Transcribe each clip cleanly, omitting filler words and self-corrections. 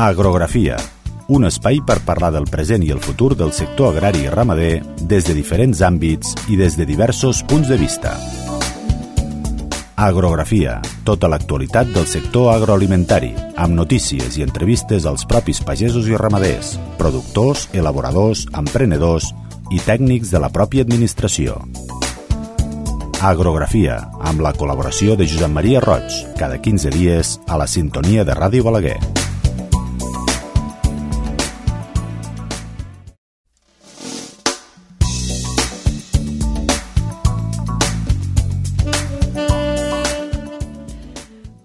Agrografia, un espai per parlar del present i el futur del sector agrari i ramader des de diferents àmbits i des de diversos punts de vista. Agrografia, tota l'actualitat del sector agroalimentari, amb notícies i entrevistes als propis pagesos i ramaders, productors, elaboradors, emprenedors i tècnics de la pròpia administració. Agrografia, amb la col·laboració de Josep Maria Roig, cada 15 dies a la sintonia de Ràdio Balaguer.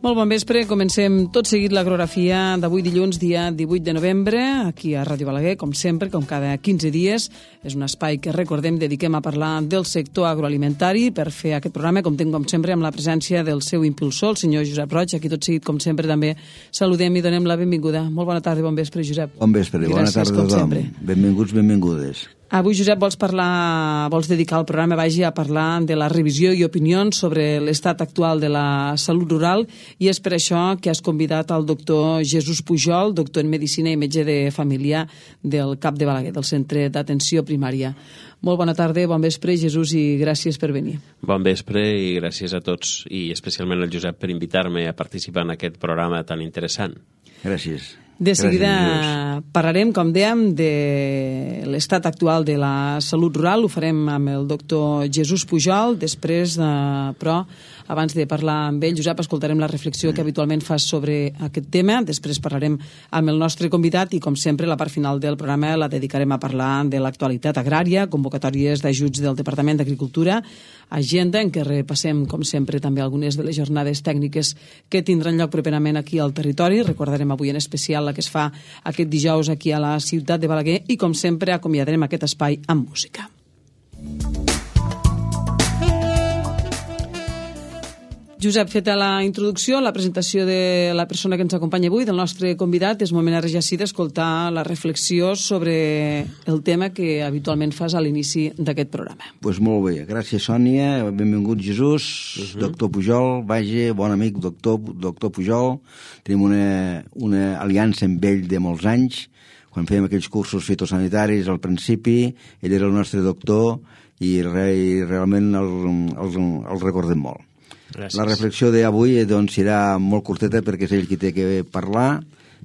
Molt bon vespre, comencem tot seguit l'agrografia d'avui dilluns, dia 18 de novembre, aquí a Ràdio Balaguer, com sempre, com cada 15 dies. És un espai que, recordem, dediquem a parlar del sector agroalimentari. Per fer aquest programa, comptem, com sempre, amb la presència del seu impulsor, el senyor Josep Roig. Aquí tot seguit, com sempre, també saludem i donem la benvinguda. Molt bona tarda i bon vespre, Josep. Bon vespre, bona tarda a tothom. Benvinguts, benvingudes. Avui, Josep, vols dedicar el programa a parlar de la revisió i opinions sobre l'estat actual de la salut rural, i és per això que has convidat el doctor Jesús Pujol, doctor en Medicina i metge de família del CAP de Balaguer, del Centre d'Atenció Primària. Molt bona tarda, bon vespre, Jesús, i gràcies per venir. Bon vespre i gràcies a tots, i especialment al Josep per invitar-me a participar en aquest programa tan interessant. Gràcies. De seguida parlarem, com dèiem, de l'estat actual de la salut rural. Ho farem amb el doctor Jesús Pujol. Després, però, abans de parlar amb ell, Josep, escoltarem la reflexió que habitualment fas sobre aquest tema. Després parlarem amb el nostre convidat i, com sempre, la part final del programa la dedicarem a parlar de l'actualitat agrària, convocatòries d'ajuts del Departament d'Agricultura, agenda en què repassem, com sempre, també algunes de les jornades tècniques que tindran lloc properament aquí al territori. Recordarem avui en especial la que es fa aquest dijous aquí a la ciutat de Balaguer i, com sempre, acomiadarem aquest espai amb música. Josep, feta la introducció, la presentació de la persona que ens acompanya avui, del nostre convidat, és moment ara ja sí d'escoltar la reflexió sobre el tema que habitualment fas a l'inici d'aquest programa. Doncs molt bé, gràcies Sònia, benvingut Jesús, doctor Pujol, bon amic doctor Pujol, tenim una aliança amb ell de molts anys, quan fèiem aquells cursos fitosanitaris al principi, ell era el nostre doctor i realment el recordem molt. Gràcies. La reflexió d'avui doncs, serà molt curteta perquè és ell qui té que parlar,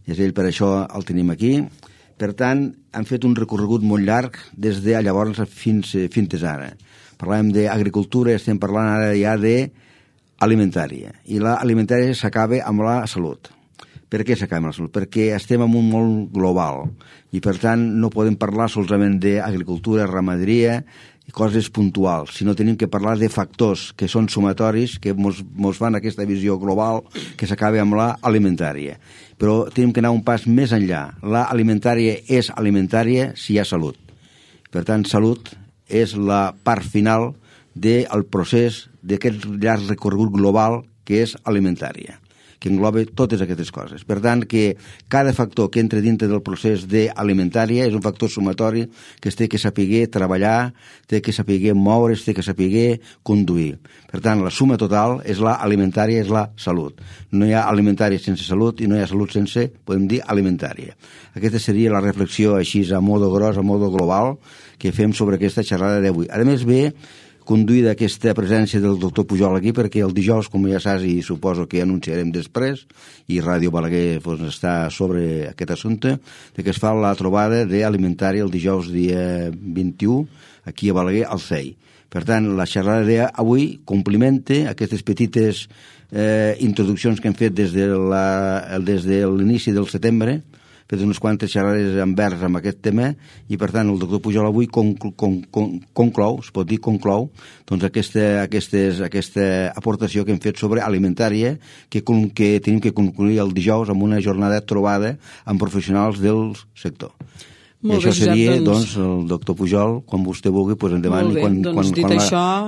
és ell, per això el tenim aquí. Per tant, han fet un recorregut molt llarg des de llavors fins ara. Parlàvem d'agricultura, estem parlant ara ja d'alimentària. I l'alimentària s'acaba amb la salut. Per què s'acaba amb la salut? Perquè estem en un món global i, per tant, no podem parlar solament d'agricultura, ramaderia i coses puntuals, sinó tenim que parlar de factors que són sumatoris, que mos fan aquesta visió global que s'acaba amb l'alimentària. Però tenim que anar un pas més enllà. L'alimentària és alimentària si hi ha salut. Per tant, salut és la part final del procés d'aquest llarg recorregut global que és alimentària, que engloba totes aquestes coses. Per tant, que cada factor que entra dintre del procés d'alimentària és un factor sumatori que es té que saber treballar, té que saber moure's, té que saber conduir. Per tant, la suma total és l'alimentària, és la salut. No hi ha alimentària sense salut i no hi ha salut sense, podem dir, alimentària. Aquesta seria la reflexió així a modo gros, a modo global, que fem sobre aquesta xerrada d'avui. A més, ve conduïda aquesta presència del doctor Pujol aquí, perquè el dijous, com ja saps, i suposo que anunciarem després, i Ràdio Balaguer està sobre aquest assumpte, que es fa la trobada d'alimentària el dijous dia 21, aquí a Balaguer, al CEI. Per tant, la xerrada d'avui complementa aquestes petites introduccions que hem fet des de l'inici del setembre, fet unes quantes xerrades envers amb aquest tema, i per tant el doctor Pujol avui conclou, es pot dir conclou, doncs aquesta aportació que hem fet sobre alimentària que tenim que concluir el dijous amb una jornada trobada amb professionals del sector. I això seria, doncs, el doctor Pujol, quan vostè vulgui, doncs endavant, i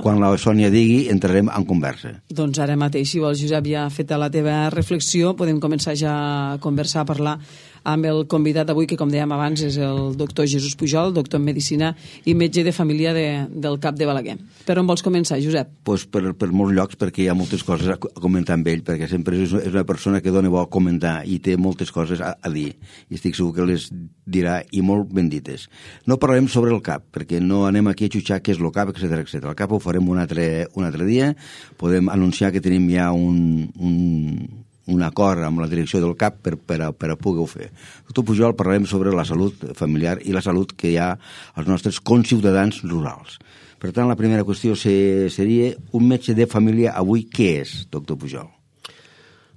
quan la Sònia digui, entrarem en conversa. Doncs ara mateix, si vols, Josep, ja feta la teva reflexió, podem començar ja a conversar, a parlar amb el convidat avui, que com dèiem abans és el doctor Jesús Pujol, doctor en Medicina i metge de família del CAP de Balaguer. Per on vols començar, Josep? Pues per molts llocs, perquè hi ha moltes coses a comentar amb ell, perquè sempre és una persona que dona bo a comentar i té moltes coses a dir, i estic segur que les dirà, i molt ben dites. No parlarem sobre el CAP, perquè no anem aquí a jutjar què és el CAP, etc. El CAP ho farem un altre dia. Podem anunciar que tenim ja un acord amb la direcció del CAP per a poder-ho fer. Doctor Pujol, parlarem sobre la salut familiar i la salut que hi ha als nostres conciutadans rurals. Per tant, la primera qüestió seria un metge de família avui què és, doctor Pujol?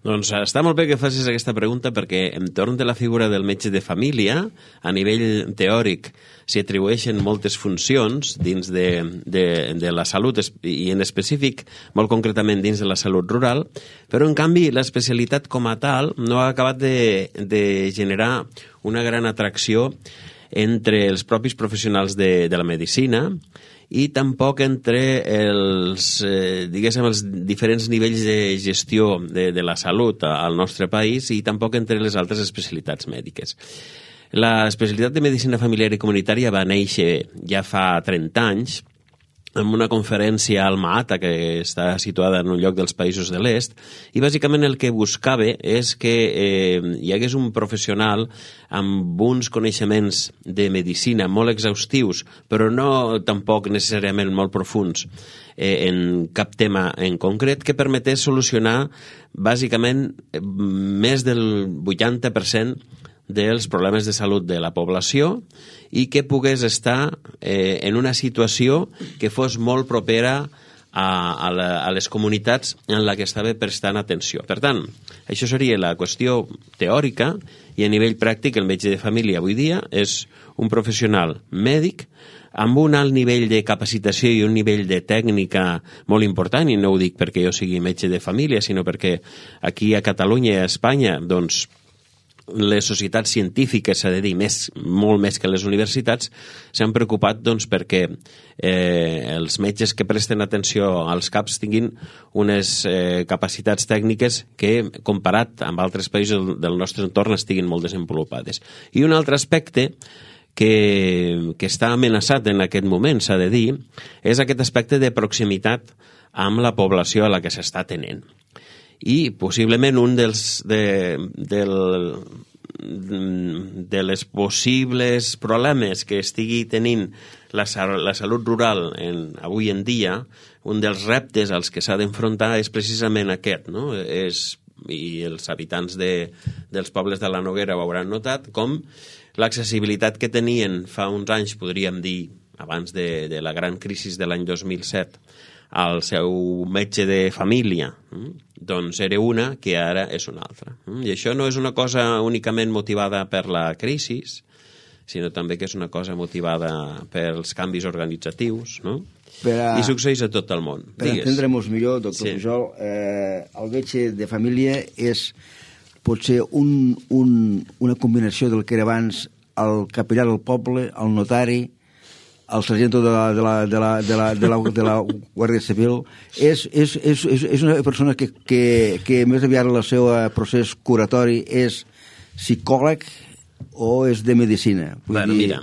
Doncs està molt bé que facis aquesta pregunta, perquè entorn de la figura del metge de família, a nivell teòric, s'hi atribueixen moltes funcions dins de la salut, i en específic, molt concretament dins de la salut rural, però en canvi l'especialitat com a tal no ha acabat de generar una gran atracció entre els propis professionals de la medicina, i tampoc entre els diferents nivells de gestió de la salut al nostre país, i tampoc entre les altres especialitats mèdiques. La especialitat de medicina familiar i comunitària va néixer ja fa 30 anys en una conferència a Alma-Ata, que està situada en un lloc dels països de l'est, i bàsicament el que buscava és que hi hagués un professional amb uns coneixements de medicina molt exhaustius, però no tampoc necessàriament molt profunds en cap tema en concret, que permetés solucionar bàsicament més del 80% dels problemes de salut de la població, i que pogués estar en una situació que fos molt propera a les comunitats en la que estava prestant atenció. Per tant, això seria la qüestió teòrica, i a nivell pràctic el metge de família avui dia és un professional mèdic amb un alt nivell de capacitació i un nivell de tècnica molt important, i no ho dic perquè jo sigui metge de família, sinó perquè aquí a Catalunya i a Espanya, doncs, les societats científiques, s'ha de dir, molt més que les universitats, s'han preocupat perquè els metges que presten atenció als CAPs tinguin unes capacitats tècniques que, comparat amb altres països del nostre entorn, estiguin molt desenvolupades. I un altre aspecte que està amenaçat en aquest moment, s'ha de dir, és aquest aspecte de proximitat amb la població a la que s'està atenent. I possiblement un de les possibles problemes que estigui tenint la salut rural avui en dia, un dels reptes als que s'ha d'enfrontar és precisament aquest, no? I els habitants dels pobles de la Noguera ho hauran notat, com l'accessibilitat que tenien fa uns anys, podríem dir, abans de la gran crisi de l'any 2007, al seu metge de família, doncs era una que ara és una altra. I això no és una cosa únicament motivada per la crisi, sinó també que és una cosa motivada pels canvis organitzatius, no? I succeeix a tot el món. Per entendre-nos millor, doctor Pujol, el metge de família pot ser una combinació del que era abans el capellà del poble, el notari, el sargento de la Guàrdia Civil. És una persona que més aviat el seu procés curatori és psicòleg o és de medicina? Mira,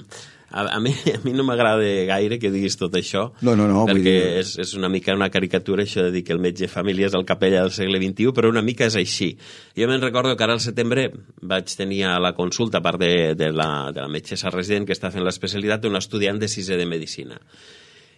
a mi no m'agrada gaire que diguis tot això, perquè és una mica una caricatura això de dir que el metge de família és el capellà del segle XXI, però una mica és així. Jo me'n recordo que ara al setembre vaig tenir a la consulta, a part de la metgessa resident que està fent l'especialitat, un estudiant de 6è de medicina.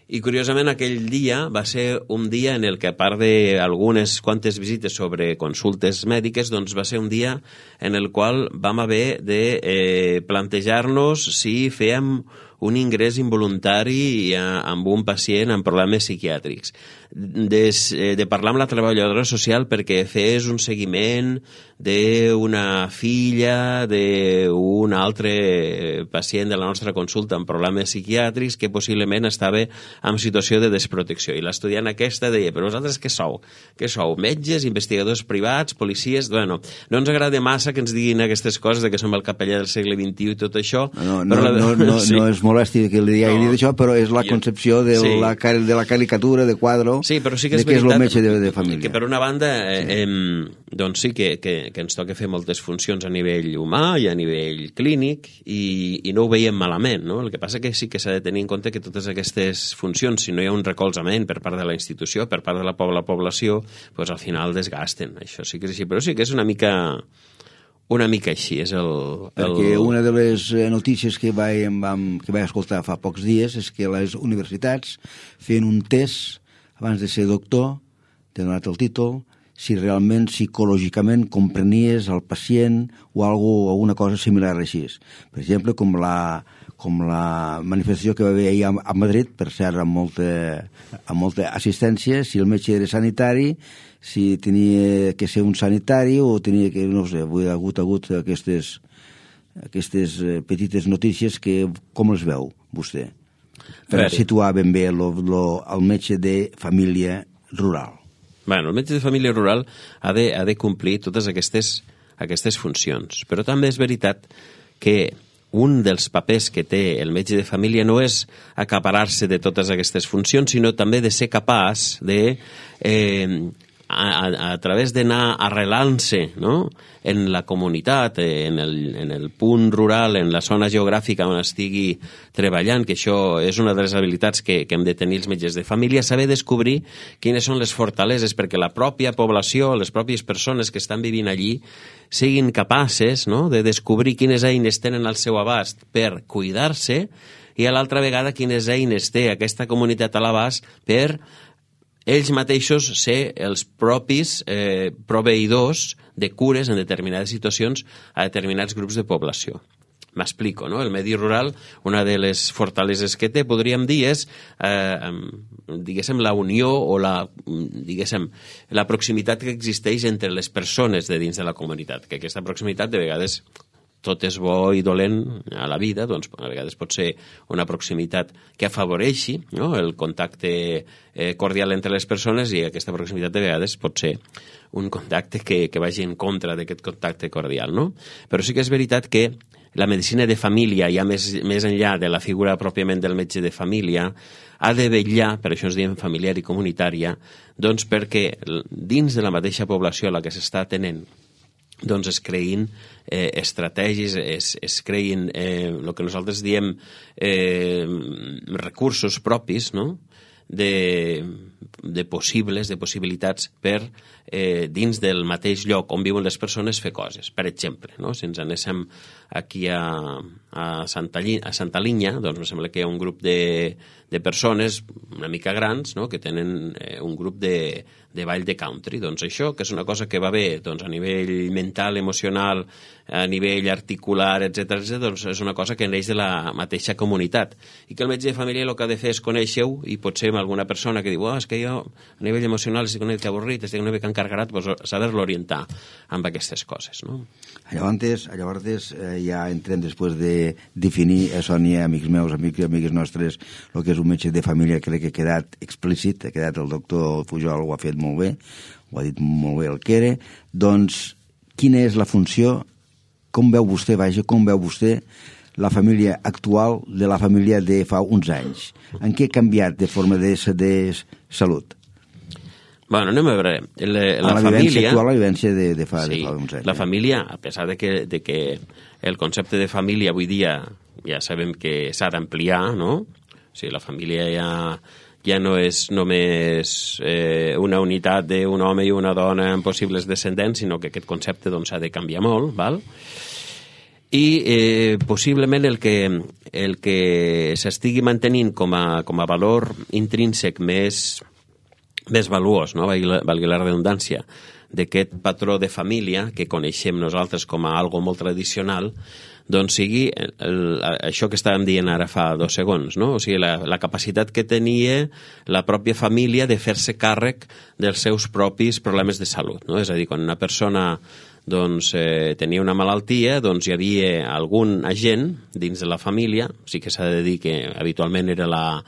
I curiosament aquell dia va ser un dia en el que, a part d'algunes quantes visites sobre consultes mèdiques, doncs va ser un dia en el qual vam haver de plantejar-nos si fèiem un ingrés involuntari amb un pacient amb problemes psiquiàtrics, de parlar amb la treballadora social perquè fes un seguiment d'una filla d'un altre pacient de la nostra consulta amb problemes psiquiàtrics que possiblement estava en situació de desprotecció. I l'estudiant aquesta deia, però vosaltres què sou? Què sou? Metges, investigadors privats, policies? Bueno, no ens agrada massa que ens diguin aquestes coses de que som el capellà del segle XXI i tot això. No és molesti que li hagi dit això, però és la concepció de la caricatura, de quadro, sí, però sí que de què és el metge de família. Que per una banda, doncs sí que ens toca fer moltes funcions a nivell humà i a nivell clínic i no ho veiem malament, no? El que passa que sí que s'ha de tenir en compte que totes aquestes funcions, si no hi ha un recolzament per part de la institució, per part de la població, doncs al final desgasten. Això sí que és així, però sí que és una mica així, és Perquè una de les notícies que vaig escoltar fa pocs dies és que les universitats feien un test abans de ser doctor, t'he donat el títol, si realment psicològicament comprenies el pacient o alguna cosa similar així. Per exemple, com la manifestació que va haver ahir a Madrid, per cert, amb molta assistència, si el metge era sanitari, si tenia que ser un sanitari o tenia que, no sé, ha hagut aquestes petites notícies que com les veu vostè? Per situar ben bé el metge de família rural. Bueno, el metge de família rural ha de complir totes aquestes funcions, però també és veritat que un dels papers que té el metge de família no és acaparar-se de totes aquestes funcions, sinó també de ser capaç de a través d'anar arrelant-se, no?, en la comunitat, en el punt rural, en la zona geogràfica on estigui treballant, que això és una de les habilitats que hem de tenir els metges de família, saber descobrir quines són les fortaleses perquè la pròpia població, les pròpies persones que estan vivint allí, siguin capaces, no?, de descobrir quines eines tenen al seu abast per cuidar-se i a l'altra vegada quines eines té aquesta comunitat a l'abast per ells mateixos ser els propis proveïdors de cures en determinades situacions a determinats grups de població. M'explico, no? El medi rural, una de les fortaleses que té, podríem dir, és diguéssim, la unió o la proximitat que existeix entre les persones de dins de la comunitat, que aquesta proximitat de vegades tot és bo i dolent a la vida, doncs a vegades pot ser una proximitat que afavoreixi, no?, el contacte cordial entre les persones, i aquesta proximitat de vegades pot ser un contacte que vagi en contra d'aquest contacte cordial, no? Però sí que és veritat que la medicina de família, ja més enllà de la figura pròpiament del metge de família, ha de vetllar, per això ens diem familiar i comunitària, doncs perquè dins de la mateixa població a la que s'està atenent doncs es creïn estratègies, es creïn el que nosaltres diem recursos propis, no?, de possibilitats per dins del mateix lloc on viuen les persones fer coses. Per exemple, no?, si ens anéssim aquí a Santa Linya, doncs em sembla que hi ha un grup de persones una mica grans, no?, que tenen un grup de ball de country. Doncs això, que és una cosa que va bé doncs, a nivell mental, emocional, a nivell articular, etc., doncs és una cosa que neix de la mateixa comunitat. I que el metge de família el que ha de fer és conèixer-ho, i potser amb alguna persona que diu és que jo a nivell emocional estic una mica avorrit, estic una mica encarregat, doncs saber-lo orientar amb aquestes coses, no? Llavors ja entrem després de definir, Sònia, amics meus, amigues nostres, el que és un metge de família. Crec que ha quedat explícit, ha quedat, el doctor Pujol ho ha fet molt bé, ho ha dit molt bé el que era. Doncs, quina és la funció, com veu vostè la família actual de la família de fa uns anys? En què ha canviat de forma de salut? Bueno, anem a veure. La vivència actual, la vivència de fa uns anys. La família, a pesar de que el concepte de família avui dia ja sabem que s'ha d'ampliar, no? O sigui, la família ja no és només una unitat d'un home i una dona amb possibles descendents, sinó que aquest concepte doncs, ha de canviar molt, val? I possiblement el que s'estigui mantenint com a valor intrínsec més valuós, no? Valgui la redundància, d'aquest patró de família que coneixem nosaltres com a algo molt tradicional, doncs sigui això que estàvem dient ara fa 2 segons, no? O sigui, la capacitat que tenia la pròpia família de fer-se càrrec dels seus propis problemes de salut, no? És a dir, quan una persona doncs, tenia una malaltia, doncs hi havia algun agent dins de la família, sí que s'ha de dir que habitualment era la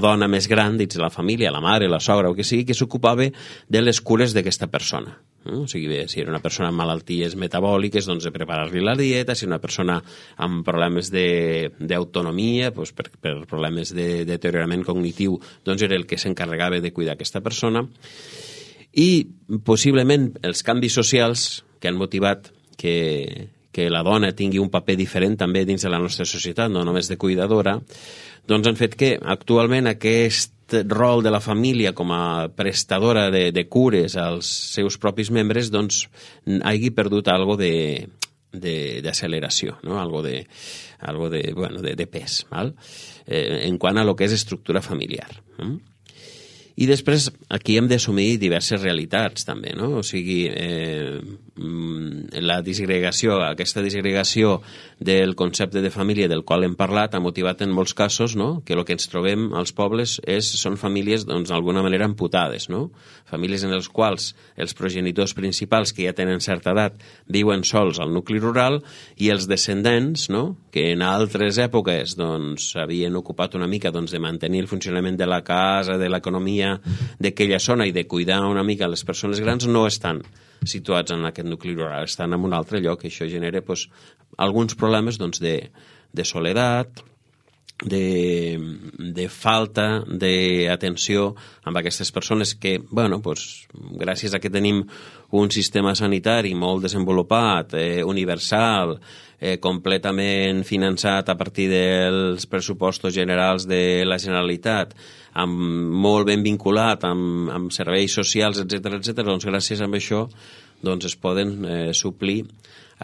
dona més gran dins de la família, la mare, la sogra o que sigui, que s'ocupava de les cures d'aquesta persona. O sigui, si era una persona amb malalties metabòliques, doncs de preparar-li la dieta, si una persona amb problemes d'autonomia, doncs per problemes de deteriorament cognitiu, doncs era el que s'encarregava de cuidar aquesta persona. I possiblement els canvis socials que han motivat que la dona tingui un paper diferent també dins de la nostra societat, no només de cuidadora, doncs han fet que actualment aquest rol de la família com a prestadora de cures als seus propis membres doncs hagi perdut algo d'acceleració, no? algo de pes, val? En quant a lo que és estructura familiar. I després aquí hem d'assumir diverses realitats també, no? O sigui, la disgregació, aquesta disgregació del concepte de família del qual hem parlat ha motivat en molts casos, no?, que el que ens trobem als pobles són famílies, doncs, d'alguna manera amputades, no? Famílies en les quals els progenitors principals, que ja tenen certa edat, viuen sols al nucli rural i els descendents, no?, que en altres èpoques doncs havien ocupat una mica doncs, de mantenir el funcionament de la casa, de l'economia d'aquella zona i de cuidar una mica les persones grans, no estan situats en aquest nucli rural, estan en un altre lloc, i això genera doncs, alguns problemes doncs, de soledat, de falta d'atenció amb aquestes persones que, bueno, doncs, gràcies a que tenim un sistema sanitari molt desenvolupat, universal, completament finançat a partir dels pressupostos generals de la Generalitat, molt ben vinculat amb serveis socials, etc., doncs gràcies a això doncs es poden suplir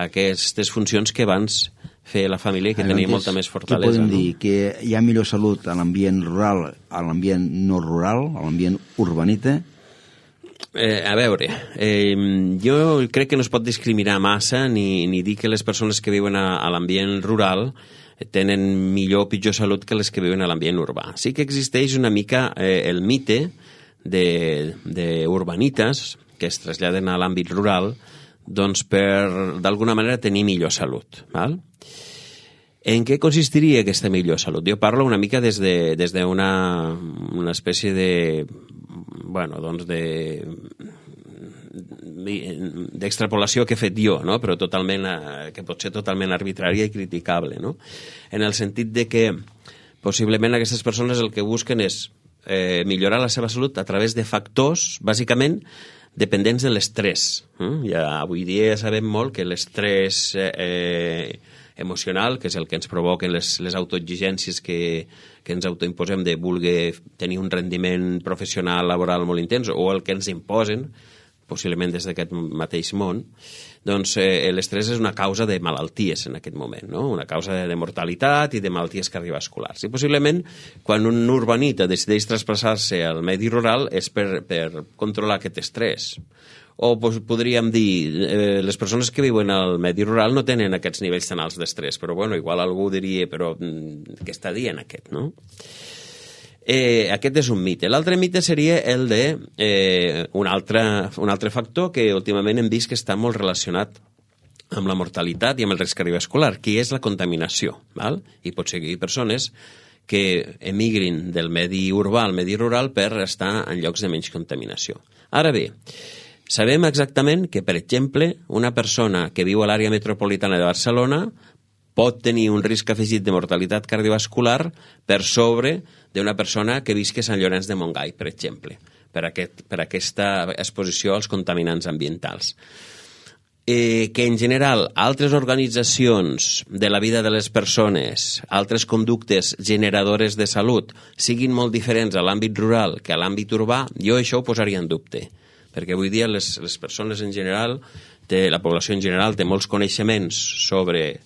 aquestes funcions que abans feia la família i que tenia molta més fortalesa. Què podem dir? Que hi ha millor salut a l'ambient rural, a l'ambient no rural, a l'ambient urbanita? A veure, jo crec que no es pot discriminar massa ni dir que les persones que viuen a l'ambient rural tenen millor o pitjor salut que les que viuen a l'ambient urbà. Sí que existeix una mica el mite d'urbanites que es traslladen a l'àmbit rural doncs per, d'alguna manera, tenir millor salut. Val? En què consistiria aquesta millor salut? Jo parlo una mica des d'una espècie de... bueno, doncs d'extrapolació que he fet jo, no? Però totalment, que pot ser totalment arbitrària i criticable, no? En el sentit de que possiblement aquestes persones el que busquen és millorar la seva salut a través de factors, bàsicament, dependents de l'estrès. Ja avui dia ja sabem molt que l'estrès emocional, que és el que ens provoquen les autoexigències que ens autoimposem de voler tenir un rendiment professional, laboral molt intens, o el que ens imposen, possiblement des d'aquest mateix món, doncs l'estrès és una causa de malalties en aquest moment, no? Una causa de mortalitat i de malalties cardiovasculars. I possiblement, quan un urbanita decideix traspassar-se al medi rural és per controlar aquest estrès. O podríem dir, les persones que viuen al medi rural no tenen aquests nivells tan alts d'estrès, però bueno, igual algú diria, però què està dient aquest, no? Aquest és un mite. L'altre mite seria el de un altre factor que últimament hem vist que està molt relacionat amb la mortalitat i amb el risc cardiovascular, que és la contaminació. Val? I pot ser que hi hagi persones que emigrin del medi urbà al medi rural per estar en llocs de menys contaminació. Ara bé, sabem exactament que, per exemple, una persona que viu a l'àrea metropolitana de Barcelona pot tenir un risc afegit de mortalitat cardiovascular per sobre d'una persona que visqui a Sant Llorenç de Montgai, per exemple, per aquesta exposició als contaminants ambientals. Que en general altres organitzacions de la vida de les persones, altres conductes generadores de salut, siguin molt diferents a l'àmbit rural que a l'àmbit urbà, jo això ho posaria en dubte, perquè avui dia les persones en general, la població en general té molts coneixements sobre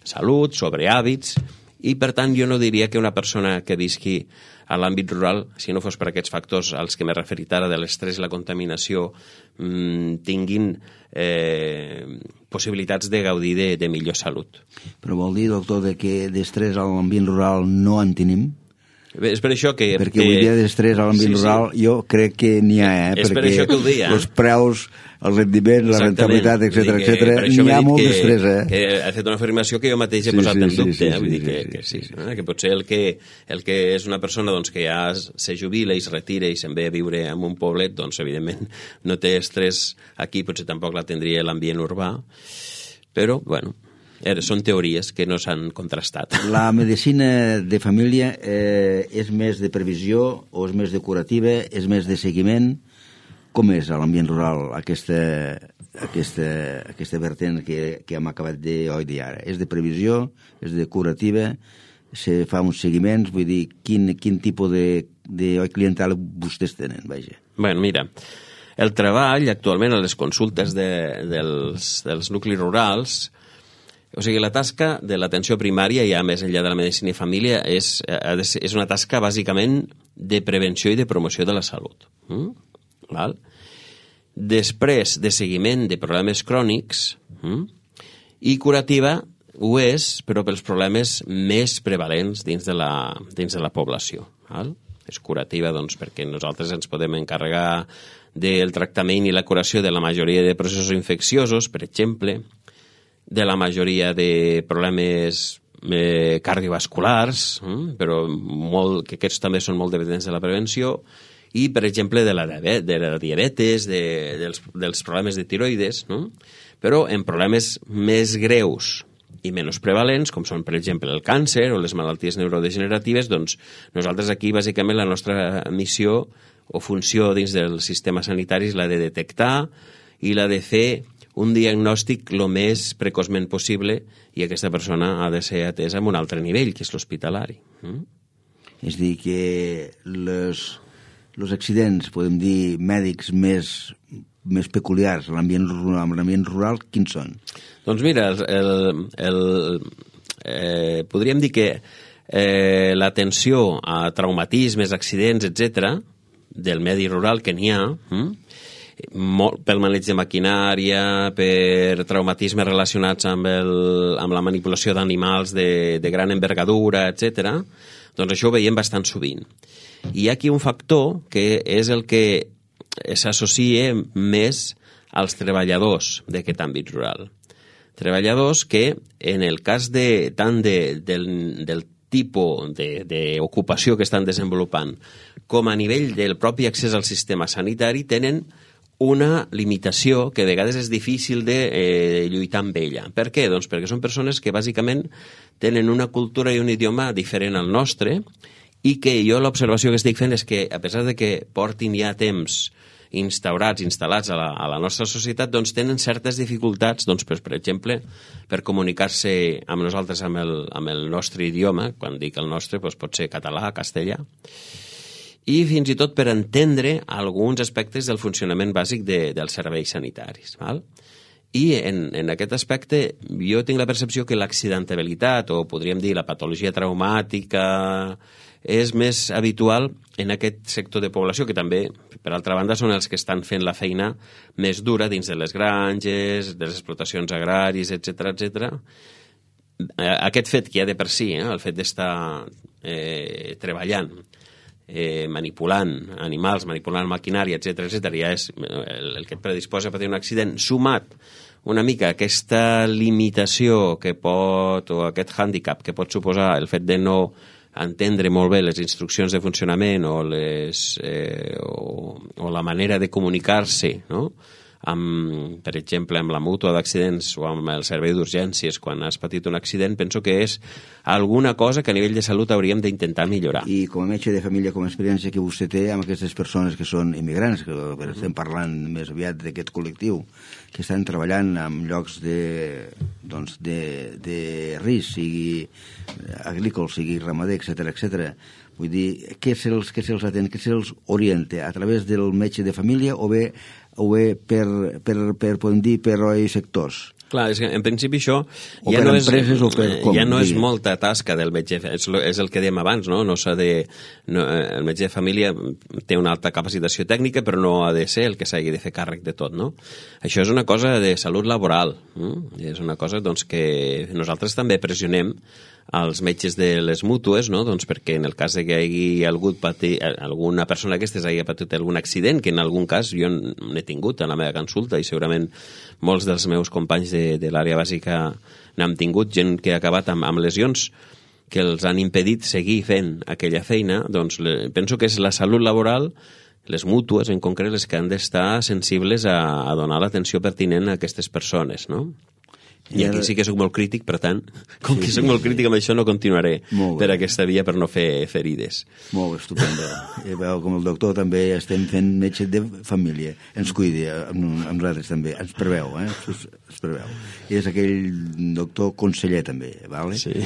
salut, sobre hàbits, i per tant jo no diria que una persona que visqui a l'àmbit rural, si no fos per aquests factors als que m'he referit ara de l'estrès i la contaminació, tinguin possibilitats de gaudir de millor salut. Però vol dir, doctor, que d'estrès a l'ambient rural no en tenim? És per això que... Perquè avui dia d'estrès a l'àmbit rural jo crec que n'hi ha, és per això que ho deia. Els preus, el rendiment, la rentabilitat, etc, n'hi ha molt d'estrès, Que ha fet una afirmació que jo mateix he posat en dubte, vull dir que sí, que potser el que és una persona doncs, que ja se jubila i es retira i se'n ve a viure en un poblet, doncs evidentment no té estrès aquí, potser tampoc la tindria l'ambient urbà, però, bueno, són teories que no s'han contrastat. La medicina de família és més de previsió o és més de curativa, és més de seguiment? Com és a l'ambient rural aquesta vertent que hem acabat de dir ara? És de previsió? És de curativa? Se fa uns seguiments? Vull dir, quin tipus de clientela vostès tenen? Vaja. Bueno, mira, el treball actualment a les consultes dels nuclis rurals, o sigui, la tasca de l'atenció primària, ja més enllà de la medicina i família, és una tasca bàsicament de prevenció i de promoció de la salut. Val? Després de seguiment de problemes crònics, i curativa ho és, però pels problemes més prevalents dins de la població. Val? És curativa doncs, perquè nosaltres ens podem encarregar del tractament i la curació de la majoria de processos infecciosos, per exemple, de la majoria de problemes cardiovasculars, però que aquests també són molt dependents de la prevenció, i, per exemple, de la diabetes, dels problemes de tiroides, no? Però en problemes més greus i menys prevalents, com són, per exemple, el càncer o les malalties neurodegeneratives, doncs nosaltres aquí, bàsicament, la nostra missió o funció dins del sistema sanitari és la de detectar i la de fer un diagnòstic el més precoçment possible, i aquesta persona ha de ser atesa en un altre nivell, que és l'hospitalari. És a dir, que els accidents, podem dir, mèdics més peculiars a l'ambient rural, quins són? Doncs mira, podríem dir que l'atenció a traumatismes, accidents, etc., del medi rural que n'hi ha, pel maneig de maquinària, per traumatismes relacionats amb la manipulació d'animals de gran envergadura, etc. Doncs això ho veiem bastant sovint. I hi ha aquí un factor que és el que s'associa més als treballadors d'aquest àmbit rural. Treballadors que, en el cas tant del tipus d'ocupació que estan desenvolupant com a nivell del propi accés al sistema sanitari, tenen una limitació que a vegades és difícil de lluitar amb ella. Per què? Doncs perquè són persones que bàsicament tenen una cultura i un idioma diferent al nostre, i que jo l'observació que estic fent és que, a pesar de que portin ja temps instal·lats a la nostra societat, doncs tenen certes dificultats, doncs, per exemple, per comunicar-se amb nosaltres amb el nostre idioma. Quan dic el nostre, doncs pot ser català, castellà, i fins i tot per entendre alguns aspectes del funcionament bàsic dels serveis sanitaris. Val? I en aquest aspecte jo tinc la percepció que l'accidentabilitat, o podríem dir la patologia traumàtica, és més habitual en aquest sector de població, que també, per altra banda, són els que estan fent la feina més dura dins de les granges, de les explotacions agràries, etc. Aquest fet que hi ha de per si, el fet d'estar treballant, manipulant animals, manipulant maquinària, etc., ja és el que et predisposa a patir un accident, sumat una mica aquesta limitació que pot, o aquest hàndicap que pot suposar el fet de no entendre molt bé les instruccions de funcionament o la manera de comunicar-se, no? Per exemple, amb la mútua d'accidents o amb el servei d'urgències quan has patit un accident, penso que és alguna cosa que a nivell de salut hauríem d'intentar millorar. I com a metge de família, com a experiència que vostè té amb aquestes persones que són immigrants, que estem parlant més aviat d'aquest col·lectiu, que estan treballant en llocs de risc, sigui agrícola, sigui ramader, etc. Vull dir, què se'ls atén, què se'ls orienta? A través del metge de família o bé podem dir, per sectors? Clar, és que en principi això ja no és molta tasca del metge, és el que dèiem abans, no? El metge de família té una alta capacitació tècnica, però no ha de ser el que s'hagi de fer càrrec de tot, no? Això és una cosa de salut laboral, és una cosa doncs, que nosaltres també pressionem als metges de les mútues, no? Doncs perquè en el cas de que hi hagi alguna persona d'aquestes hagi patit algun accident, que en algun cas jo n'he tingut a la meva consulta i segurament molts dels meus companys de l'àrea bàsica n'han tingut, gent que ha acabat amb lesions que els han impedit seguir fent aquella feina, doncs penso que és la salut laboral, les mútues en concret, les que han d'estar sensibles a donar l'atenció pertinent a aquestes persones, no? I aquí sí que soc molt crític, per tant, com que soc molt crític amb això, no continuaré per aquesta via per no fer ferides. Molt bé, estupendo. Veu, com el doctor també estem fent metge de família. Ens cuidi, amb nosaltres també. Ens preveu, ens preveu. I és aquell doctor conseller també, vale? Sí.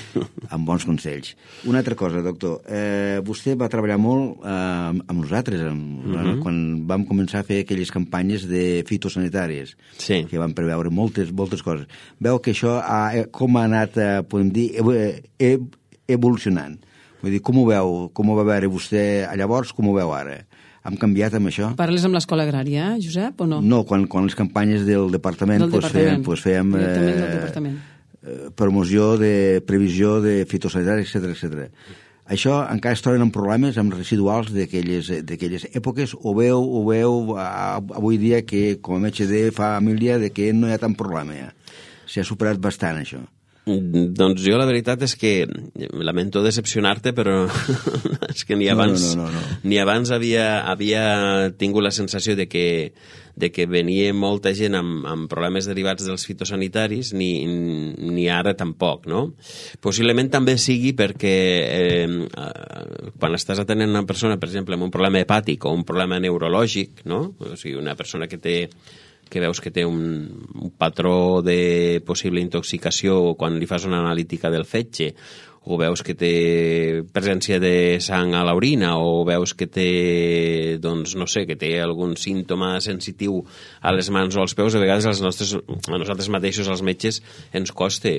Amb bons consells. Una altra cosa, doctor. Vostè va treballar molt amb nosaltres, quan vam començar a fer aquelles campanyes de fitosanitàries, que van preveure moltes coses. Veu que això com ha anat, podem dir, evolucionant. Vull dir, com ho va veure vostè llavors, com ho veu ara? Hem canviat amb això? Parles amb l'escola agrària, Josep, o no? No, quan les campanyes del departament fèiem promoció de previsió de fitosanitari, etc. Això encara es troben en problemes amb residuals d'aquelles èpoques, o veu avui dia que com a metge de família que no hi ha tant problema ja? S'ha superat bastant, això. Doncs jo la veritat és que lamento decepcionar-te, però és que ni abans havia tingut la sensació de que venia molta gent amb problemes derivats dels fitosanitaris, ni ara tampoc, no? Possiblement també sigui perquè quan estàs atenent una persona, per exemple, amb un problema hepàtic o un problema neurològic, no? O sigui, una persona que veus que té un patró de possible intoxicació quan li fas una analítica del fetge, o veus que té presència de sang a l'orina, o veus que té, doncs, no sé, que té algun símptoma sensitiu a les mans o als peus, a vegades a nosaltres mateixos, els metges, ens costa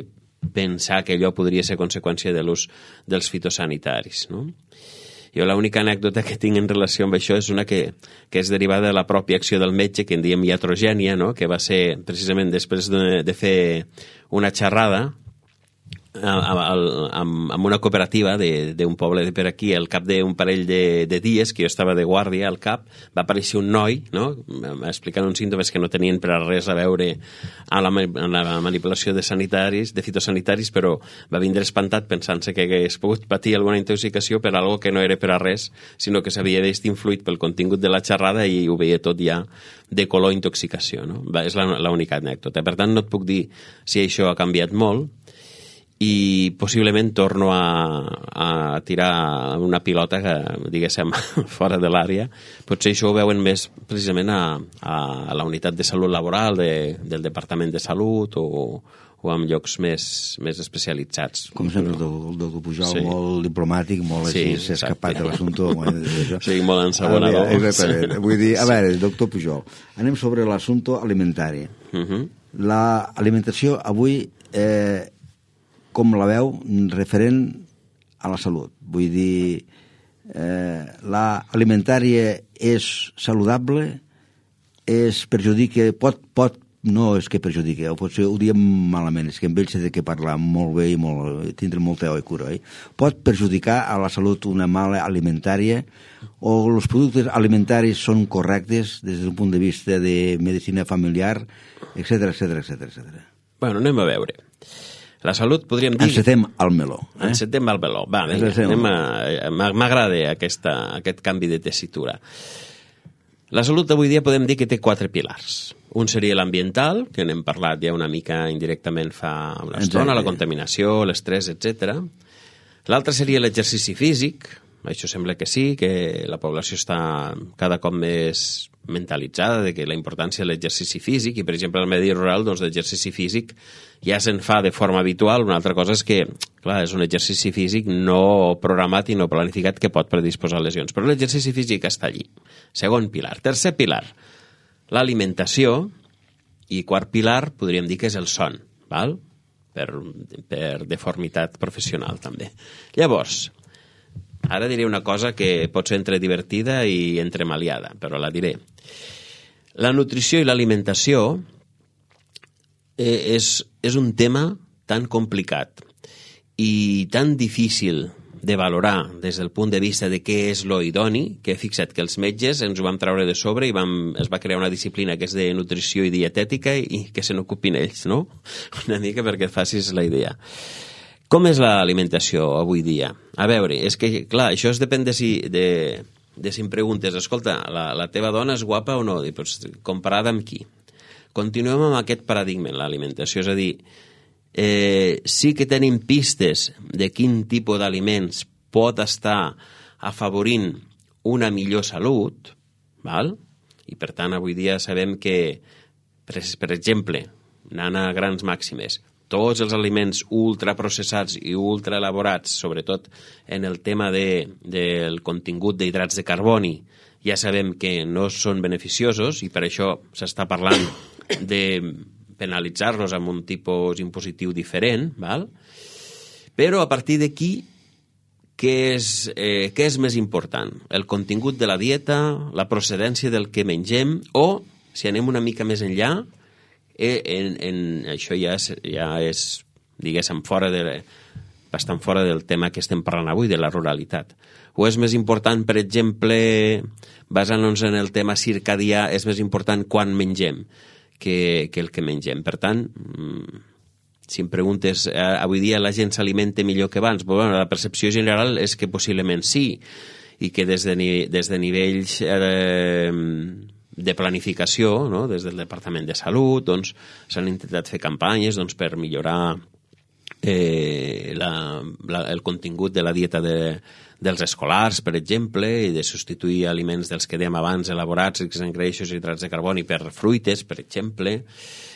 pensar que allò podria ser conseqüència de l'ús dels fitosanitaris, no? Jo l'única anècdota que tinc en relació amb això és una que és derivada de la pròpia acció del metge, que en diem iatrogènia, no? Que va ser precisament després de fer una xerrada amb una cooperativa d'un poble de per aquí. Al cap d'un parell de dies que jo estava de guàrdia al cap, va aparèixer un noi, no? Explicant uns símptomes que no tenien per a res a veure amb la manipulació de fitosanitaris, però va vindre espantat pensant-se que hagués pogut patir alguna intoxicació per algo que no era per a res, sinó que s'havia vist influït pel contingut de la xerrada i ho veia tot ja de color intoxicació, no? És l'única anècdota. Per tant, no et puc dir si això ha canviat molt, i possiblement torno a tirar una pilota que, diguéssim, fora de l'àrea. Potser això ho veuen més precisament a la unitat de salut laboral del Departament de Salut o en llocs més especialitzats. Com sempre, el doctor Pujol, molt diplomàtic, molt així, s'ha escapat de l'assumpte. Sí, molt ensabonador. Vull dir, a veure, doctor Pujol, anem sobre l'assumpte alimentari. L'alimentació avui com la veu referent a la salut. Vull dir, l'alimentària és saludable, perjudica, no és que perjudica, o potser ho diem malament, és que amb ells s'ha de parlar molt bé i tindre molta cura. Pot perjudicar a la salut una mala alimentària, o els productes alimentaris són correctes des d'un punt de vista de medicina familiar, etc. Bueno, anem a veure. La salut, podríem dir... Encetem al meló. Encetem al meló. Va, m'agrada aquest canvi de tessitura. La salut d'avui dia podem dir que té 4 pilars. Un seria l'ambiental, que n'hem parlat ja una mica indirectament fa una estona, la contaminació, l'estrès, etc. L'altre seria l'exercici físic. Això sembla que sí, que la població està cada cop més mentalitzada de que la importància de l'exercici físic, i per exemple al medi rural doncs l'exercici físic ja se'n fa de forma habitual. Una altra cosa és que, clar, és un exercici físic no programat i no planificat que pot predisposar a lesions, però l'exercici físic està allí. Segon pilar. Tercer pilar, l'alimentació, i quart pilar podríem dir que és el son, val? Per deformitat professional també. Llavors, ara diré una cosa que pot ser entre divertida i entre maliada, però la diré. La nutrició i l'alimentació és un tema tan complicat i tan difícil de valorar des del punt de vista de què és lo idoni, que he fixat que els metges ens ho vam treure de sobre i es va crear una disciplina que és de nutrició i dietètica i que se n'ocupin ells, no? Una mica perquè et facis la idea. Com és l'alimentació avui dia? A veure, és que, clar, això depèn de si em preguntes, escolta, la teva dona és guapa o no? Pues, comparada amb qui? Continuem amb aquest paradigma en l'alimentació, és a dir, sí que tenim pistes de quin tipus d'aliments pot estar afavorint una millor salut, val? I per tant avui dia sabem que, per exemple, anant a grans màximes, tots els aliments ultraprocessats i ultraelaborats, sobretot en el tema del contingut d'hidrats de carboni, ja sabem que no són beneficiosos i per això s'està parlant de penalitzar-los amb un tipus impositiu diferent, val? Però a partir d'aquí, què és més important? El contingut de la dieta, la procedència del que mengem, o, si anem una mica més enllà, això ja és diguéssim, bastant fora del tema que estem parlant avui, de la ruralitat. O és més important, per exemple, basant-nos en el tema circadià, és més important quan mengem que el que mengem. Per tant, si em preguntes, avui dia la gent s'alimenta millor que abans? Bueno, la percepció general és que possiblement sí, i que des de nivells de planificació, no? Des del Departament de Salut, doncs, s'han intentat fer campanyes per millorar el contingut de la dieta dels escolars, per exemple, i de substituir aliments dels que dèiem abans, elaborats, rics en greixos i hidrats de carboni, per fruites, per exemple.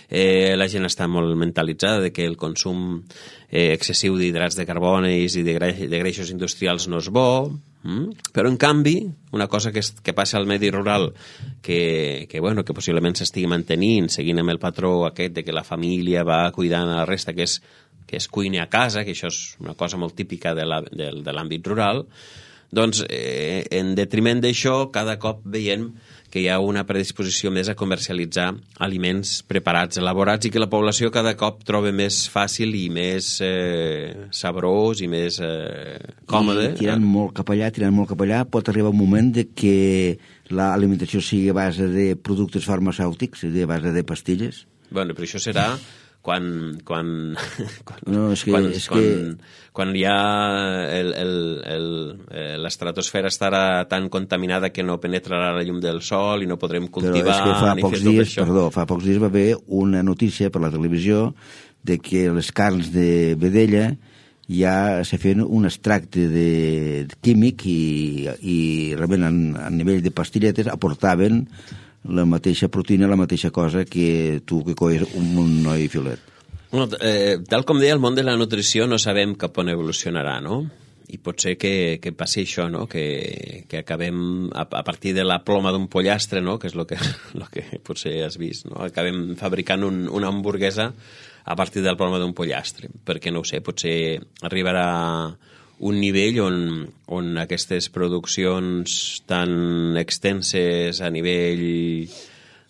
La gent està molt mentalitzada de que el consum excessiu d'hidrats de carbonis i de greixos industrials no és bo, però en canvi una cosa que passa al medi rural que possiblement s'estigui mantenint seguint amb el patró aquest de que la família va cuidant a la resta, que es cuini a casa, que això és una cosa molt típica de l'àmbit rural, doncs en detriment d'això cada cop veiem que hi ha una predisposició més a comercialitzar aliments preparats, elaborats, i que la població cada cop troba més fàcil i més sabrós i més còmode. I tirant molt cap allà, pot arribar un moment de que l'alimentació sigui a base de productes farmacèutics, a base de pastilles? Bueno, però això serà quan ja l'estratosfera estarà tan contaminada que no penetrarà la llum del sol i no podrem cultivar ni fer tot això. Fa pocs dies va haver una notícia per la televisió de que les carns de vedella ja se feien un extracte de químic i realment a nivell de pastilletes aportaven la mateixa proteïna, la mateixa cosa que tu que cois un noi filet. Bueno, tal com deia, el món de la nutrició no sabem cap on evolucionarà, no? I pot ser que passi això, no? Que acabem, a partir de la ploma d'un pollastre, no? Que és el que potser has vist, no? Acabem fabricant una hamburguesa a partir de la ploma d'un pollastre, perquè no ho sé, potser arribarà un nivell on aquestes produccions tan extenses a nivell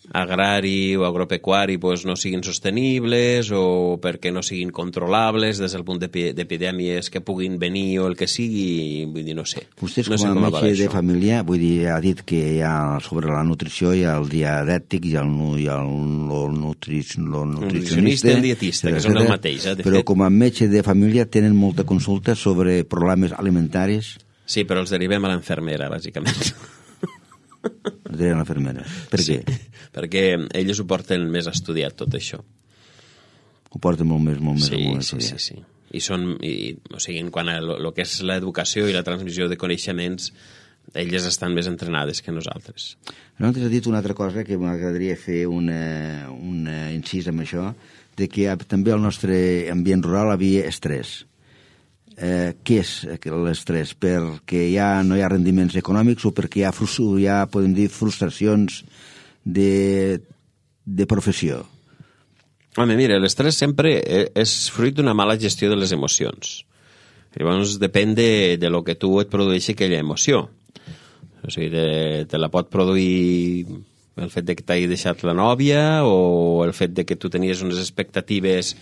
agrari o agropecuari no siguin sostenibles o perquè no siguin controlables des del punt d'epidèmies que puguin venir o el que sigui, vull dir, no sé. Vostès com a metge de família, vull dir, ha dit que hi ha sobre la nutrició hi ha el dietètic i el nutricionista i el dietista, que són el mateix, de fet. Però com a metge de família tenen molta consulta sobre problemes alimentaris? Sí, però els derivem a l'enfermera, bàsicament. De la infermera. Per què? Perquè ells ho porten més estudiat, tot això. Ho porten molt més estudiat. Sí. O sigui, quan el que és l'educació i la transmissió de coneixements, elles estan més entrenades que nosaltres. Nosaltres has dit una altra cosa que m'agradaria fer un incís amb això, de que també al nostre ambient rural havia estrès. Què és l'estrès? Perquè ja no hi ha rendiments econòmics o perquè hi ha podem dir, frustracions de professió? Home, mira, l'estrès sempre és fruit d'una mala gestió de les emocions. Llavors depèn de lo que tu et produeixi aquella emoció. O sigui, te la pot produir el fet de que t'hagi deixat la nòvia o el fet de que tu tenies unes expectatives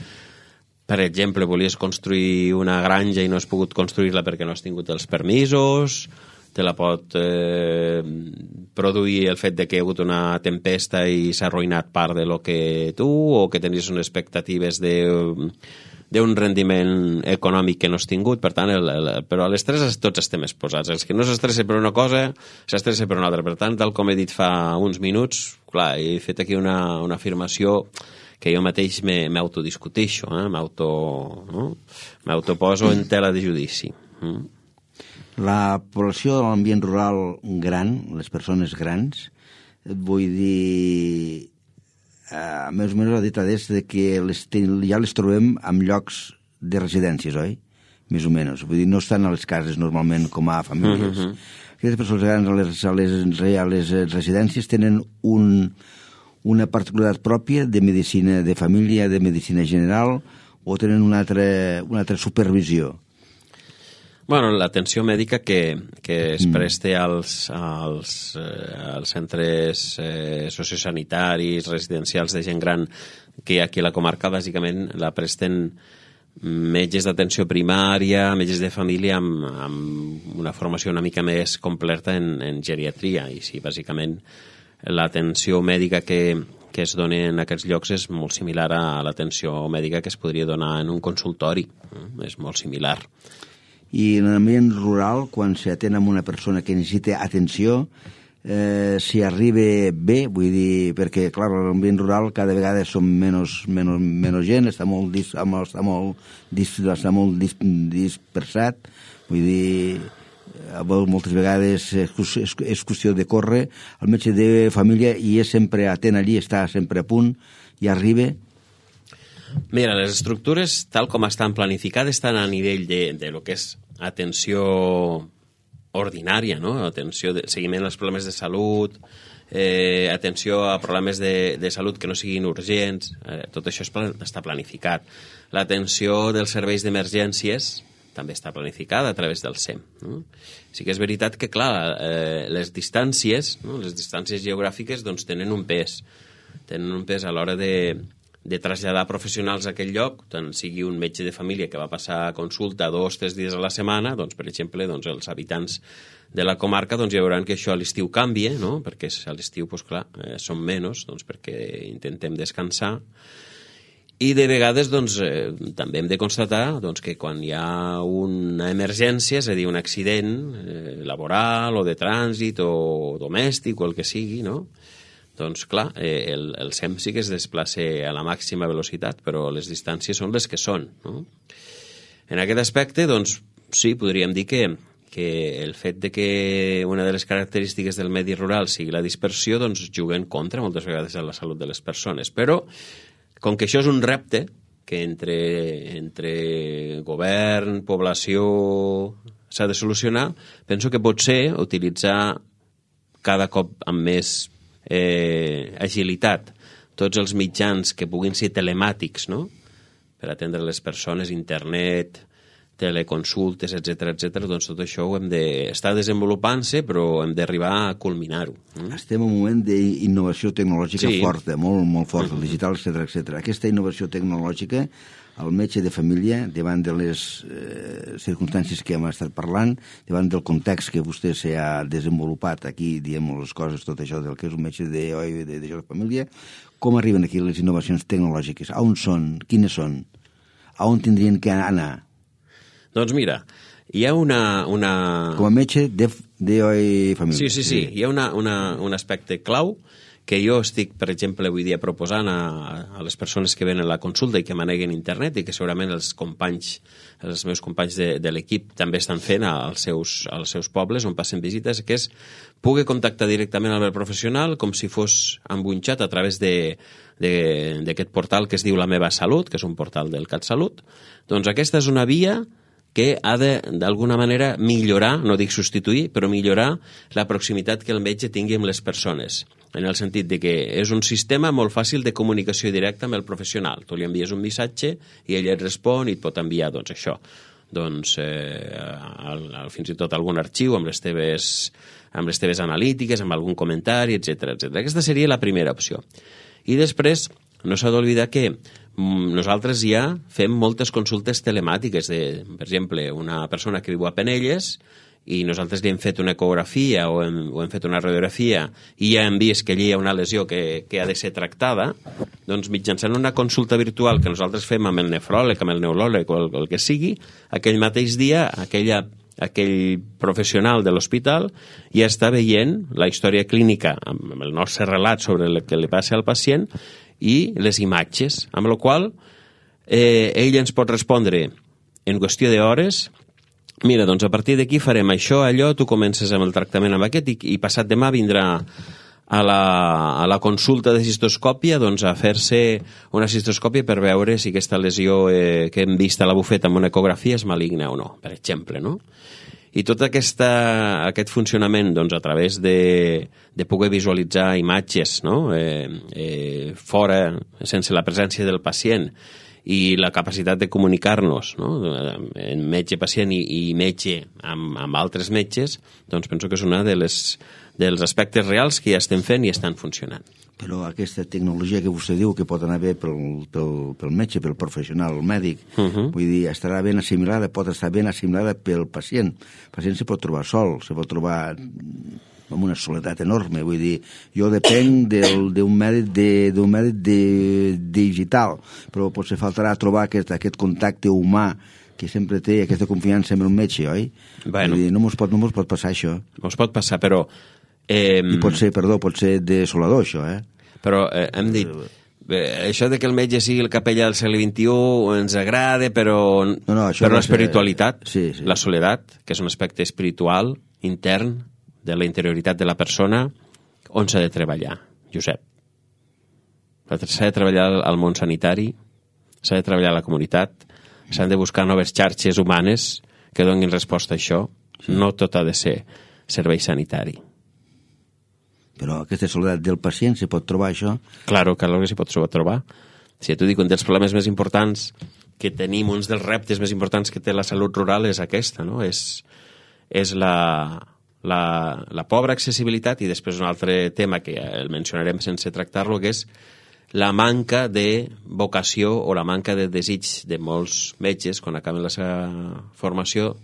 per exemple, volies construir una granja i no has pogut construir-la perquè no has tingut els permisos, te la pot produir el fet de que hi ha hagut una tempesta i s'ha arruïnat part de lo que tu, o que tenies unes expectatives d'un rendiment econòmic que no has tingut. Per tant, però a l'estrès tots estem exposats. Els que no s'estressa per una cosa, s'estressa per una altra. Per tant, tal com he dit fa uns minuts, clar, he fet aquí una afirmació que jo mateix m'autodiscuteixo, m'autoposo en tela de judici. La població de l'ambient rural gran, les persones grans, et vull dir, més o menys ha dit des que ja les trobem en llocs de residències, oi? Més o menys. Vull dir, no estan a les cases normalment com a famílies. Aquestes persones grans a les residències tenen una particularitat pròpia de medicina de família, de medicina general, o tenen una altra supervisió? Bueno, l'atenció mèdica que es preste als centres sociosanitaris, residencials de gent gran que hi ha aquí a la comarca, bàsicament la presten metges d'atenció primària, metges de família amb una formació una mica més completa en geriatria. I sí, bàsicament l'atenció mèdica que es dona en aquests llocs és molt similar a l'atenció mèdica que es podria donar en un consultori. És molt similar. I en l'ambient rural, quan s'atén amb una persona que necessita atenció, si arriba bé, vull dir, perquè, clar, l'ambient rural cada vegada som menys gent, està molt dispersat, vull dir, moltes vegades és qüestió de córrer, el metge de família i és sempre atent allí, està sempre a punt i arriba. Mira, les estructures, tal com estan planificades, estan a nivell de lo que és atenció ordinària, no? Atenció de seguiment als problemes de salut, atenció a problemes de salut que no siguin urgents, tot això està planificat. L'atenció dels serveis d'emergències també està planificada a través del SEM. No? Sí que és veritat que, clar, les distàncies, no? Les distàncies geogràfiques, doncs, tenen un pes a l'hora de traslladar professionals a aquell lloc, tant sigui un metge de família que va passar a consulta 2 o 3 dies a la setmana, doncs, per exemple, doncs, els habitants de la comarca doncs, ja veuran que això a l'estiu canvia, no? Perquè a l'estiu, doncs, clar, són menys, doncs, perquè intentem descansar. I de vegades doncs, també hem de constatar doncs, que quan hi ha una emergència, és a dir, un accident laboral o de trànsit o domèstic o el que sigui, no? Doncs clar, el SEM sí que es desplaça a la màxima velocitat, però les distàncies són les que són. No? En aquest aspecte, doncs, sí, podríem dir que el fet de que una de les característiques del medi rural sigui la dispersió, doncs juga en contra moltes vegades de la salut de les persones. Però com que això és un repte que entre govern, població, s'ha de solucionar, penso que pot ser utilitzar cada cop amb més agilitat tots els mitjans que puguin ser telemàtics, no? Per atendre les persones, internet, teleconsultes, etc, doncs tot això ho hem d'estar desenvolupant-se, però hem d'arribar a culminar-ho. Estem en un moment d'innovació tecnològica forta, molt forta, digital, etc. Aquesta innovació tecnològica, el metge de família, davant de les circumstàncies que hem estat parlant, davant del context que vostè s'ha desenvolupat aquí, diem les coses, tot això del que és un metge de família, com arriben aquí les innovacions tecnològiques? A on són? Quines són? A on tindrien que anar? Doncs mira, hi ha una... Com a metge de família. Sí. Hi ha un aspecte clau que jo estic, per exemple, avui dia proposant a les persones que venen a la consulta i que maneguen internet i que segurament els meus companys de l'equip també estan fent als seus pobles on passen visites, que és poder contactar directament amb el professional com si fos amb un xat a través d'aquest portal que es diu La Meva Salut, que és un portal del CatSalut. Doncs aquesta és una via que ha d'alguna manera millorar, no dic substituir, però millorar la proximitat que el metge tingui amb les persones, en el sentit de que és un sistema molt fàcil de comunicació directa amb el professional. Tu li envies un missatge i ell et respon i et pot enviar, doncs, això. Doncs, fins i tot algun arxiu amb les teves analítiques, amb algun comentari, etc. Aquesta seria la primera opció. I després, no s'ha d'oblidar que nosaltres ja fem moltes consultes telemàtiques per exemple, una persona que viu a Penelles i nosaltres li hem fet una ecografia o hem fet una radiografia i ja hem vist que allí hi ha una lesió que ha de ser tractada, doncs mitjançant una consulta virtual que nosaltres fem amb el nefròleg, amb el neuròleg o el que sigui, aquell mateix dia aquell professional de l'hospital ja està veient la història clínica amb el nostre relat sobre el que li passa al pacient i les imatges, amb la qual ell ens pot respondre en qüestió d'hores. Mira, doncs a partir d'aquí farem això, allò, tu comences amb el tractament amb aquest i passat demà vindrà a la consulta de cistoscòpia doncs a fer-se una cistoscòpia per veure si aquesta lesió que hem vist a la bufeta amb una ecografia és maligna o no, per exemple, no? I tot aquest funcionament doncs, a través de poder visualitzar imatges, no? Fora, sense la presència del pacient, i la capacitat de comunicar-nos, no? En metge-pacient i metge amb altres metges, doncs penso que és una dels aspectes reals que ja estem fent i estan funcionant. Però aquesta tecnologia que vostè diu que pot anar bé pel metge, pel professional, el mèdic, vull dir, estarà ben assimilada, pot estar ben assimilada pel pacient. El pacient se pot trobar sol, se pot trobar amb una soledat enorme, vull dir, jo depenc d'un mèdic digital, però potser faltarà trobar aquest contacte humà que sempre té aquesta confiança en el metge, oi? Bueno. Vull dir, no mos pot passar això. Mos pot passar, però... I pot ser desolador, això, Però hem dit, això de que el metge sigui el capellà del segle XXI ens agrada, però l'espiritualitat, la soledat, que és un aspecte espiritual, intern, de la interioritat de la persona, on s'ha de treballar, Josep? S'ha de treballar al món sanitari, s'ha de treballar a la comunitat, s'han de buscar noves xarxes humanes que donin resposta a això. No tot ha de ser servei sanitari. Però aquesta soledat del pacient se pot trobar, això? Claro que s'hi pot trobar. Si t'ho dic, un dels problemes més importants que tenim, uns dels reptes més importants que té la salut rural és aquesta, no? És la pobra accessibilitat i després un altre tema que el mencionarem sense tractar-lo, que és la manca de vocació o la manca de desig de molts metges quan acaben la seva formació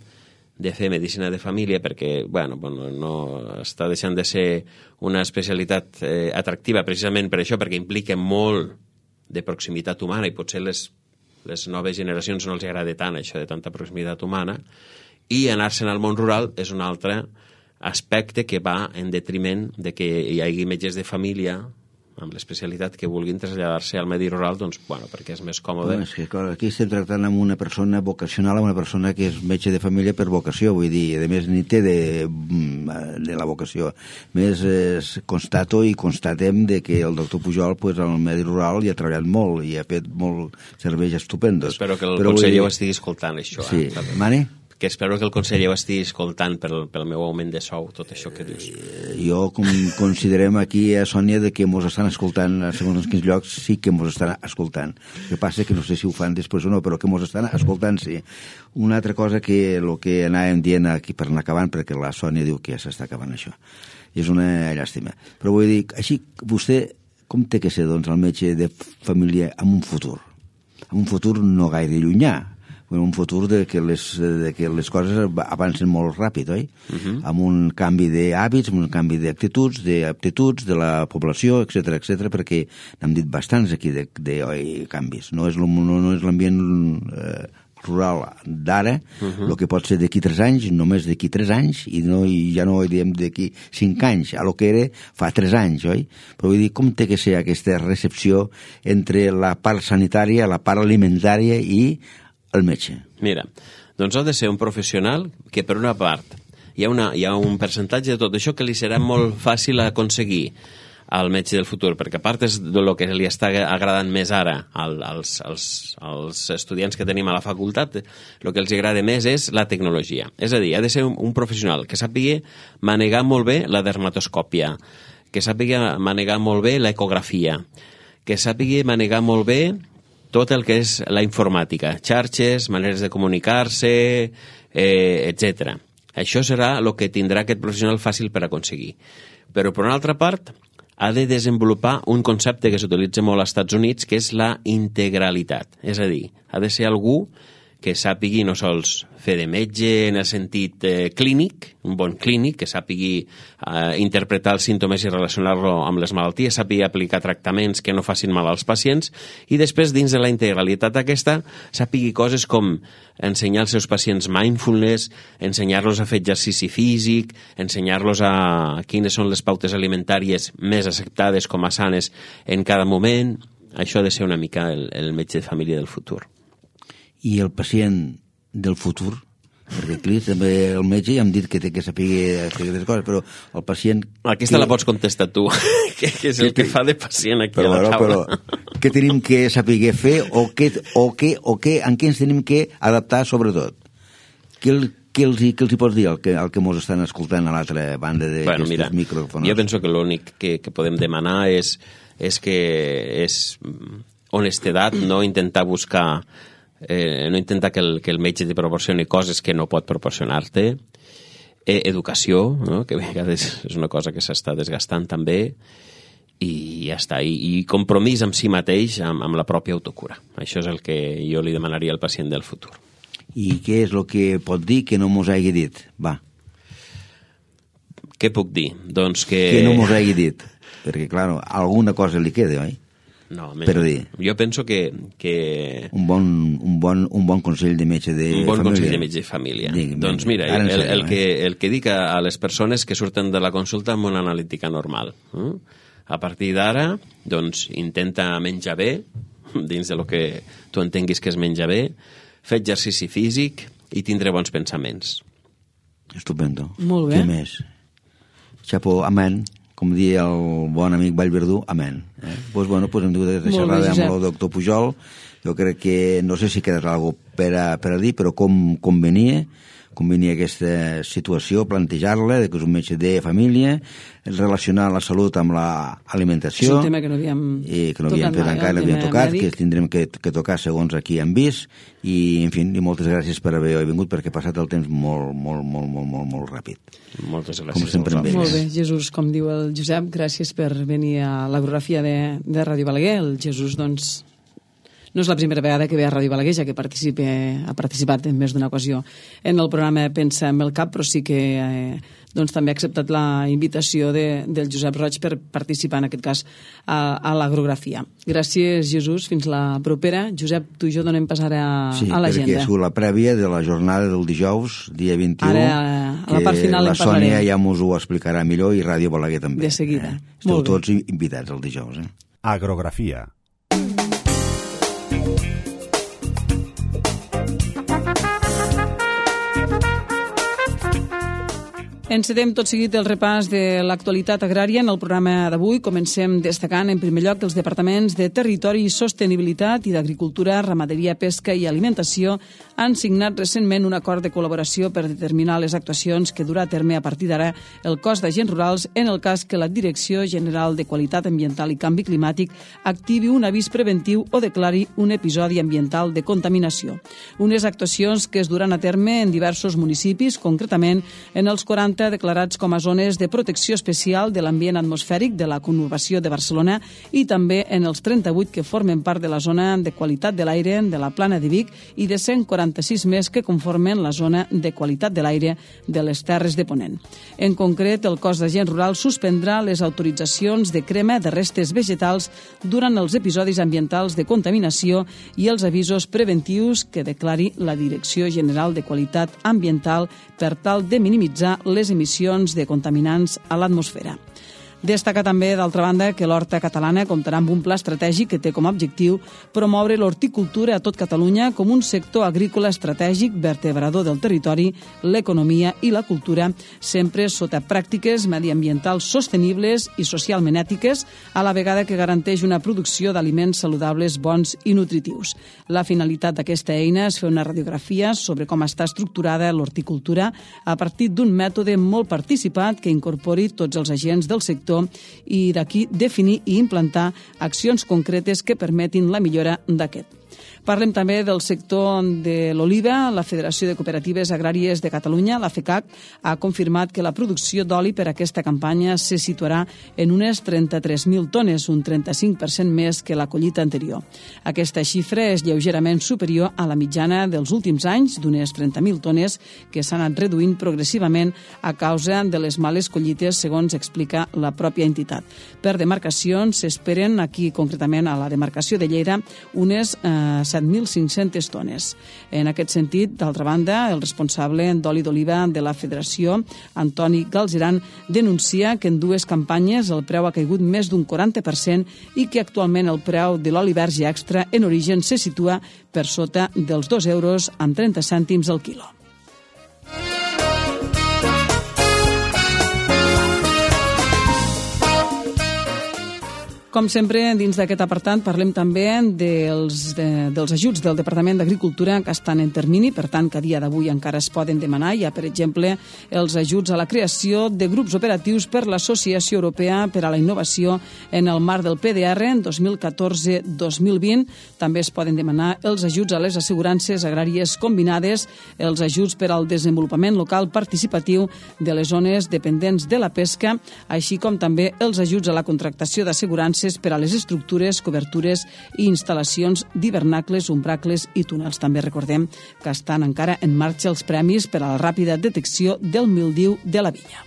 de fer medicina de família perquè no està deixant de ser una especialitat atractiva precisament per això, perquè implica molt de proximitat humana i potser les noves generacions no els agrada tant això de tanta proximitat humana, i anar-se'n al món rural és un altre aspecte que va en detriment de que hi hagi metges de família amb l'especialitat que vulguin traslladar-se al medi rural, doncs, perquè és més còmode. És que, clar, aquí estem tractant amb una persona vocacional, amb una persona que és metge de família per vocació, vull dir, a més ni té de la vocació. A més, constatem de que el doctor Pujol, al medi rural, hi ha treballat molt i ha fet molts serveis estupendos. Espero que el conseller ho estigui escoltant, això. Sí, Mani? Que espero que el conseller ho estigui escoltant pel meu augment de sou, tot això que dius. Jo considerem aquí a Sònia de que mos estan escoltant, segons en quins llocs sí que mos estan escoltant. El que passa que no sé si ho fan després o no, però que mos estan escoltant, sí. Una altra cosa que el que anàvem dient aquí per anar acabant, perquè la Sònia diu que ja s'està acabant això. I és una llàstima. Però vull dir, així, vostè com té que ser, doncs, el metge de família en un futur? En un futur no gaire llunyà. Un futur de que les coses avancen molt ràpid, oi? Amb un canvi d'hàbits, amb un canvi d'actituds, d'aptituds de la població, etc, perquè n'hem dit bastants aquí de canvis. No és l'ambient rural d'ara, el que pot ser d'aquí 3 anys, només d'aquí 3 anys, i ja no diem d'aquí 5 anys, a lo que era fa 3 anys, oi? Però vull dir, com té que ser aquesta recepció entre la part sanitària, la part alimentària i el metge? Mira, doncs ha de ser un professional que, per una part, hi ha un percentatge de tot això que li serà molt fàcil aconseguir al metge del futur, perquè a part és del que li està agradant més ara als estudiants que tenim a la facultat, el que els agrada més és la tecnologia. És a dir, ha de ser un professional que sàpiga manegar molt bé la dermatoscòpia, que sàpiga manegar molt bé l'ecografia, que sàpiga manegar molt bé tot el que és la informàtica, xarxes, maneres de comunicar-se, etc. Això serà el que tindrà aquest professional fàcil per aconseguir. Però, per una altra part, ha de desenvolupar un concepte que s'utilitza molt als Estats Units, que és la integralitat. És a dir, ha de ser algú que sàpigui no sols fer de metge en el sentit clínic, un bon clínic, que sàpigui interpretar els símptomes i relacionar-lo amb les malalties, sàpigui aplicar tractaments que no facin mal als pacients, i després, dins de la integralitat aquesta, sàpigui coses com ensenyar als seus pacients mindfulness, ensenyar-los a fer exercici físic, ensenyar-los a quines són les pautes alimentàries més acceptades com a sanes en cada moment. Això ha de ser una mica el metge de família del futur. I el pacient del futur, perquè aquí també el metge ja hem dit que té que saber aquestes coses, però el pacient... Aquesta la pots contestar tu, que és el que fa de pacient aquí a la taula. Però què tenim que saber fer o en què ens tenim que adaptar sobretot? Què els hi pots dir al que mos estan escoltant a l'altra banda d'aquests micròfons? Jo penso que l'únic que podem demanar és honestedat, no intentar buscar... no intentar que el metge te proporcioni coses que no pot proporcionar-te, educació, no? Que a vegades és una cosa que s'està desgastant també, i ja està, i compromís amb si mateix, amb la pròpia autocura. Això és el que jo li demanaria al pacient del futur. I què és el que pot dir que no mos hagi dit? Va. Què puc dir? Doncs que... Que no mos hagi dit, perquè, clar, alguna cosa li queda, oi? No, però dir. Jo penso que... Un bon consell de metge de família. Un bon consell de metge de família. Doncs mira, el que dic a les persones que surten de la consulta amb una analítica normal. A partir d'ara, doncs, intenta menjar bé, dins de lo que tu entenguis que es menja bé, fer exercici físic i tindre bons pensaments. Estupendo. Molt bé. Què més? Xapo, amén. Com diria el bon amic Vallverdú, amén. Doncs hem dut de xerrar amb el doctor Pujol. Jo crec que, no sé si quedarà alguna cosa per a dir, però com convenia aquesta situació, plantejar-la, que és un metge de família, relacionar la salut amb l'alimentació. És un tema que no havíem fet encara, no havíem tocat, que tindrem que tocar segons aquí hem vist, i, en fi, moltes gràcies per haver vingut, perquè ha passat el temps molt ràpid. Moltes gràcies. Com sempre amb ells. Molt bé, Jesús, com diu el Josep, gràcies per venir a l'agorafia de Ràdio Balaguer. El Jesús, doncs, no és la primera vegada que ve a Ràdio Balaguer, ja que ha participat en més d'una ocasió en el programa Pensa amb el Cap, però sí que doncs, també ha acceptat la invitació del Josep Roig per participar, en aquest cas, a l'agrografia. Gràcies, Jesús. Fins la propera. Josep, tu i jo donem pas ara a l'agenda. Sí, perquè és la prèvia de la jornada del dijous, dia 21, ara, a la part final la Sònia ja mos ho explicarà millor i Ràdio Balaguer també. De seguida. Esteu tots invitats el dijous. Agrografia. Encetem tot seguit el repàs de l'actualitat agrària. En el programa d'avui comencem destacant en primer lloc que els departaments de Territori i Sostenibilitat i d'Agricultura, Ramaderia, Pesca i Alimentació han signat recentment un acord de col·laboració per determinar les actuacions que durà a terme a partir d'ara el cos d'agents rurals en el cas que la Direcció General de Qualitat Ambiental i Canvi Climàtic activi un avís preventiu o declari un episodi ambiental de contaminació. Unes actuacions que es duran a terme en diversos municipis, concretament en els 40 declarats com a zones de protecció especial de l'ambient atmosfèric de la conurbació de Barcelona i també en els 38 que formen part de la zona de qualitat de l'aire de la Plana de Vic i de 146 més que conformen la zona de qualitat de l'aire de les Terres de Ponent. En concret, el cos d'agents rurals suspendrà les autoritzacions de crema de restes vegetals durant els episodis ambientals de contaminació i els avisos preventius que declari la Direcció General de Qualitat Ambiental per tal de minimitzar les emissions de contaminants a l'atmosfera. Destaca també, d'altra banda, que l'Horta Catalana comptarà amb un pla estratègic que té com a objectiu promoure l'horticultura a tot Catalunya com un sector agrícola estratègic vertebrador del territori, l'economia i la cultura, sempre sota pràctiques mediambientals sostenibles i socialment ètiques, a la vegada que garanteix una producció d'aliments saludables, bons i nutritius. La finalitat d'aquesta eina és fer una radiografia sobre com està estructurada l'horticultura a partir d'un mètode molt participat que incorpori tots els agents del sector i d'aquí definir i implantar accions concretes que permetin la millora d'aquest. Parlem també del sector de l'oliva. La Federació de Cooperatives Agràries de Catalunya, la FECAC, ha confirmat que la producció d'oli per aquesta campanya se situarà en unes 33.000 tones, un 35% més que la collita anterior. Aquesta xifra és lleugerament superior a la mitjana dels últims anys, d'unes 30.000 tones, que s'han anat reduint progressivament a causa de les males collites, segons explica la pròpia entitat. Per demarcacions s'esperen, aquí concretament a la demarcació de Lleida, unes 7.500 tones. En aquest sentit, d'altra banda, el responsable d'oli d'oliva de la Federació, Antoni Galzeran, denuncia que en dues campanyes el preu ha caigut més d'un 40% i que actualment el preu de l'oli verge extra en origen se situa per sota dels 2 euros amb 30 cèntims al quilo. Com sempre, dins d'aquest apartat parlem també dels ajuts del Departament d'Agricultura que estan en termini, per tant, que a dia d'avui encara es poden demanar. Hi ha, per exemple, els ajuts a la creació de grups operatius per l'Associació Europea per a la Innovació en el marc del PDR en 2014-2020. També es poden demanar els ajuts a les assegurances agràries combinades, els ajuts per al desenvolupament local participatiu de les zones dependents de la pesca, així com també els ajuts a la contractació d'assegurances per a les estructures, cobertures i instal·lacions d'hivernacles, umbracles i túnels. També recordem que estan encara en marxa els premis per a la ràpida detecció del mildiu de la vinya.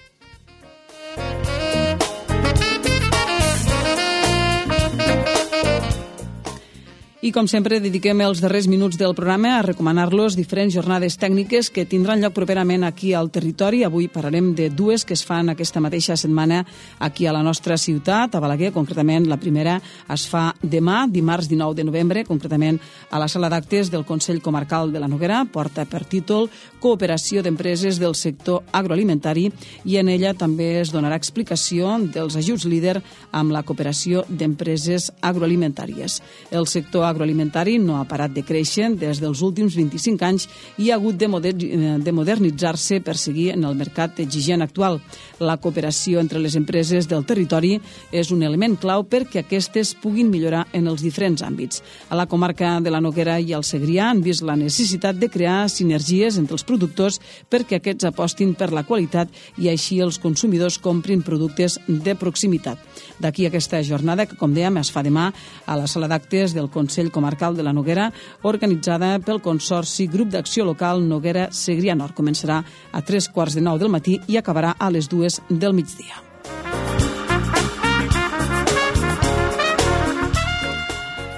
I, com sempre, dediquem els darrers minuts del programa a recomanar-los diferents jornades tècniques que tindran lloc properament aquí al territori. Avui parlarem de dues que es fan aquesta mateixa setmana aquí a la nostra ciutat, a Balaguer. Concretament, la primera es fa demà, dimarts 19 de novembre, concretament a la sala d'actes del Consell Comarcal de la Noguera. Porta per títol Cooperació d'Empreses del Sector Agroalimentari i en ella també es donarà explicació dels ajuts líder amb la cooperació d'empreses agroalimentàries. El sector agroalimentari no ha parat de créixer des dels últims 25 anys i ha hagut de modernitzar-se per seguir en el mercat exigent actual. La cooperació entre les empreses del territori és un element clau perquè aquestes puguin millorar en els diferents àmbits. A la comarca de la Noguera i al Segrià han vist la necessitat de crear sinergies entre els productors perquè aquests apostin per la qualitat i així els consumidors comprin productes de proximitat. D'aquí aquesta jornada que, com dèiem, es fa demà a la sala d'actes del Consell Comarcal de la Noguera, organitzada pel Consorci Grup d'Acció Local Noguera Segrià Nord. Començarà a 3:15 del matí i acabarà a les 2 del migdia.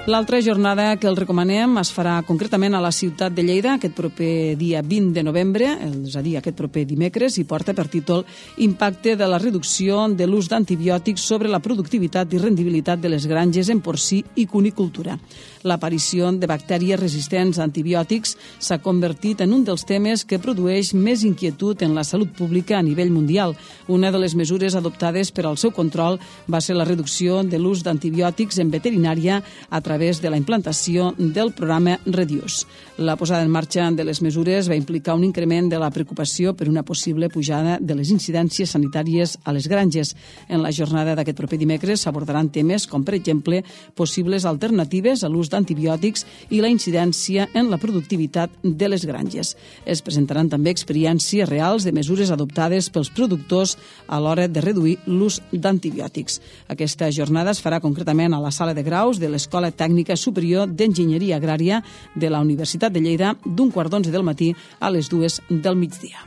L'altra jornada que el recomanem es farà concretament a la ciutat de Lleida aquest proper dia 20 de novembre, és a dir, aquest proper dimecres, i porta per títol Impacte de la reducció de l'ús d'antibiòtics sobre la productivitat i rendibilitat de les granges en porcí i cunicultura. L'aparició de bactèries resistents a antibiòtics s'ha convertit en un dels temes que produeix més inquietud en la salut pública a nivell mundial. Una de les mesures adoptades per al seu control va ser la reducció de l'ús d'antibiòtics en veterinària a través de la implantació del programa Reduce. La posada en marxa de les mesures va implicar un increment de la preocupació per una possible pujada de les incidències sanitàries a les granges. En la jornada d'aquest proper dimecres s'abordaran temes com, per exemple, possibles alternatives a l'ús d'antibiòtics i la incidència en la productivitat de les granges. Es presentaran també experiències reals de mesures adoptades pels productors a l'hora de reduir l'ús d'antibiòtics. Aquesta jornada es farà concretament a la sala de graus de l'Escola Tècnica Superior d'Enginyeria Agrària de la Universitat de Lleida d'un 10:15 del matí a les 2 del migdia.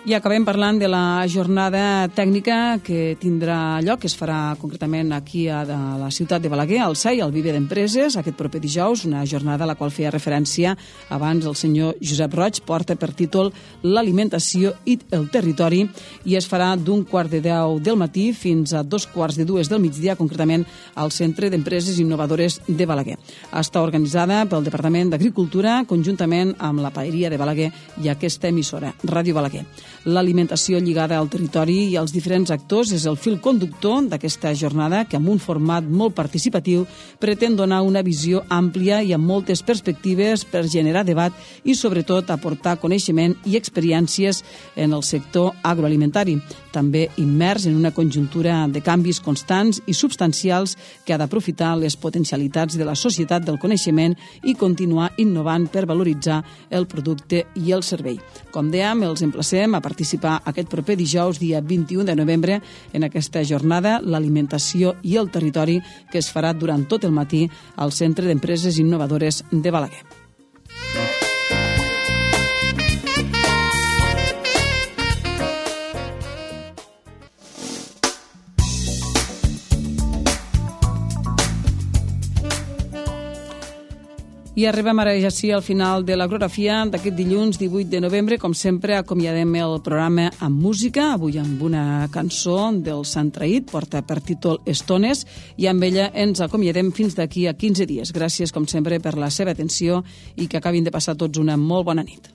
I acabem parlant de la jornada tècnica que tindrà lloc, que es farà concretament aquí a la ciutat de Balaguer, al SAI, al Viver d'Empreses, aquest proper dijous, una jornada a la qual feia referència abans el senyor Josep Roig, porta per títol L'alimentació i el territori, i es farà d'un 9:15 del matí fins a 2:15 del migdia, concretament al Centre d'Empreses Innovadores de Balaguer. Està organitzada pel Departament d'Agricultura, conjuntament amb la Paeria de Balaguer i aquesta emissora, Ràdio Balaguer. L'alimentació lligada al territori i als diferents actors és el fil conductor d'aquesta jornada que, amb un format molt participatiu, pretén donar una visió àmplia i amb moltes perspectives per generar debat i, sobretot, aportar coneixement i experiències en el sector agroalimentari. també immers en una conjuntura de canvis constants i substancials que ha d'aprofitar les potencialitats de la societat del coneixement i continuar innovant per valoritzar el producte i el servei. Com dèiem, els emplacem a participar aquest proper dijous, dia 21 de novembre, en aquesta jornada L'alimentació i el territori, que es farà durant tot el matí al Centre d'Empreses Innovadores de Balaguer. I arribem ara ja sí al final de l'Agrografia d'aquest dilluns 18 de novembre. Com sempre, acomiadem el programa amb música, avui amb una cançó del Sant Traït, porta per títol Estones, i amb ella ens acomiadem fins d'aquí a 15 dies. Gràcies, com sempre, per la seva atenció i que acabin de passar tots una molt bona nit.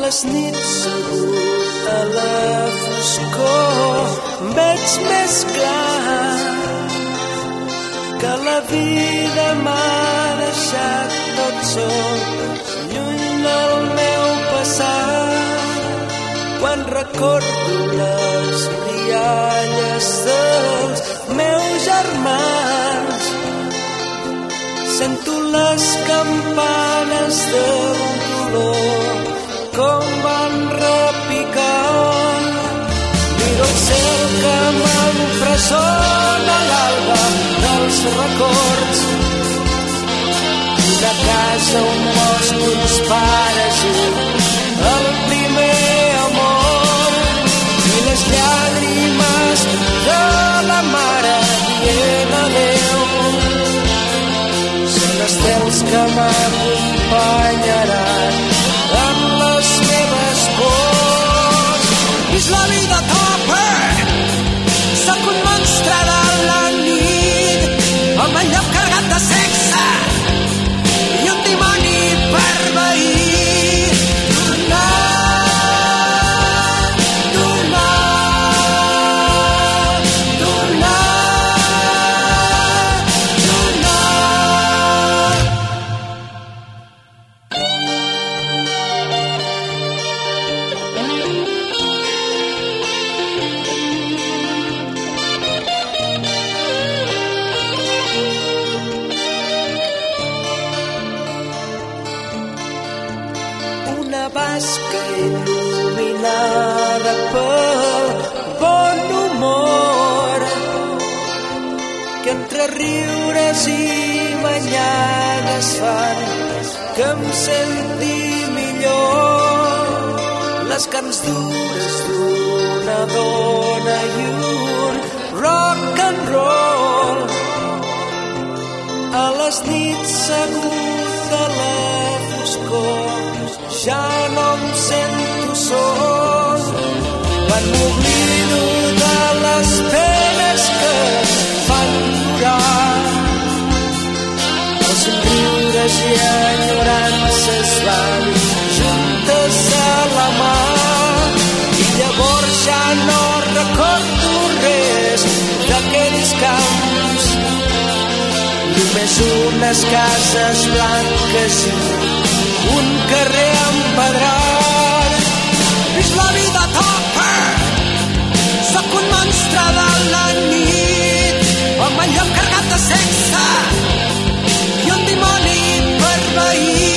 les nits segut a la foscor veig més clar que la vida m'ha deixat tot sol lluny del meu passat. Quan recordo les rialles dels meus germans, sento les campanes del dolor com van repicant. Miro el cel que m'empresona l'alba dels records, una casa, un bosc, uns pares i el primer amor i les llàgrimes de la mare dient adéu. Són estels que m'acompanyaran en les meves pors. Vis la vida a tope, sóc un monstre de la nit, amb el llop carregat de sexe i un dimoni per veí. Basca il·luminada pel bon humor que entre riures i banyades fan que em senti millor. Les carns dures d'una dona i un rock and roll a les nits segut a la foscor. Ja no em sento sol quan m'oblido de les penes que fan plorar. Els somriures i enyorances van juntes a la mà i llavors ja no recordo res d'aquells camps. Només unes cases blanques i un carrer empedrat. Vis la vida a tope, sóc un monstre de la nit, amb el llop carregat de sexe i un dimoni per veí.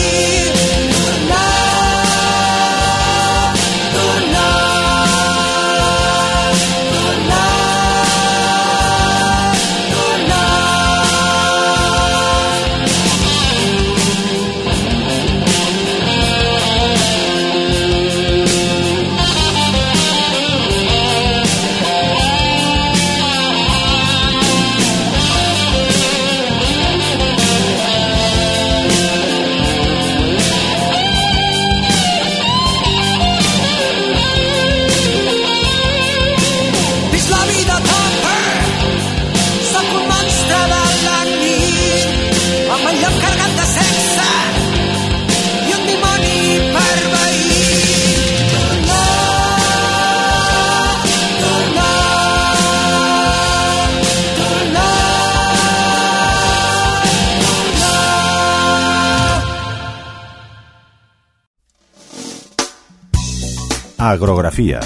Agrografia,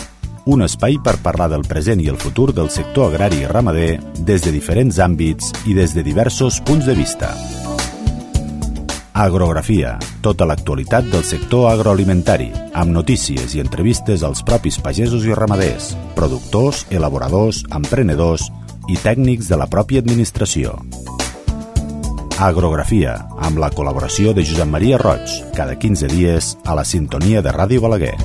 un espai per parlar del present i el futur del sector agrari i ramader des de diferents àmbits i des de diversos punts de vista. Agrografia, tota l'actualitat del sector agroalimentari, amb notícies i entrevistes als propis pagesos i ramaders, productors, elaboradors, emprenedors i tècnics de la pròpia administració. Agrografia, amb la col·laboració de Josep Maria Roig, cada 15 dies a la sintonia de Ràdio Balaguer.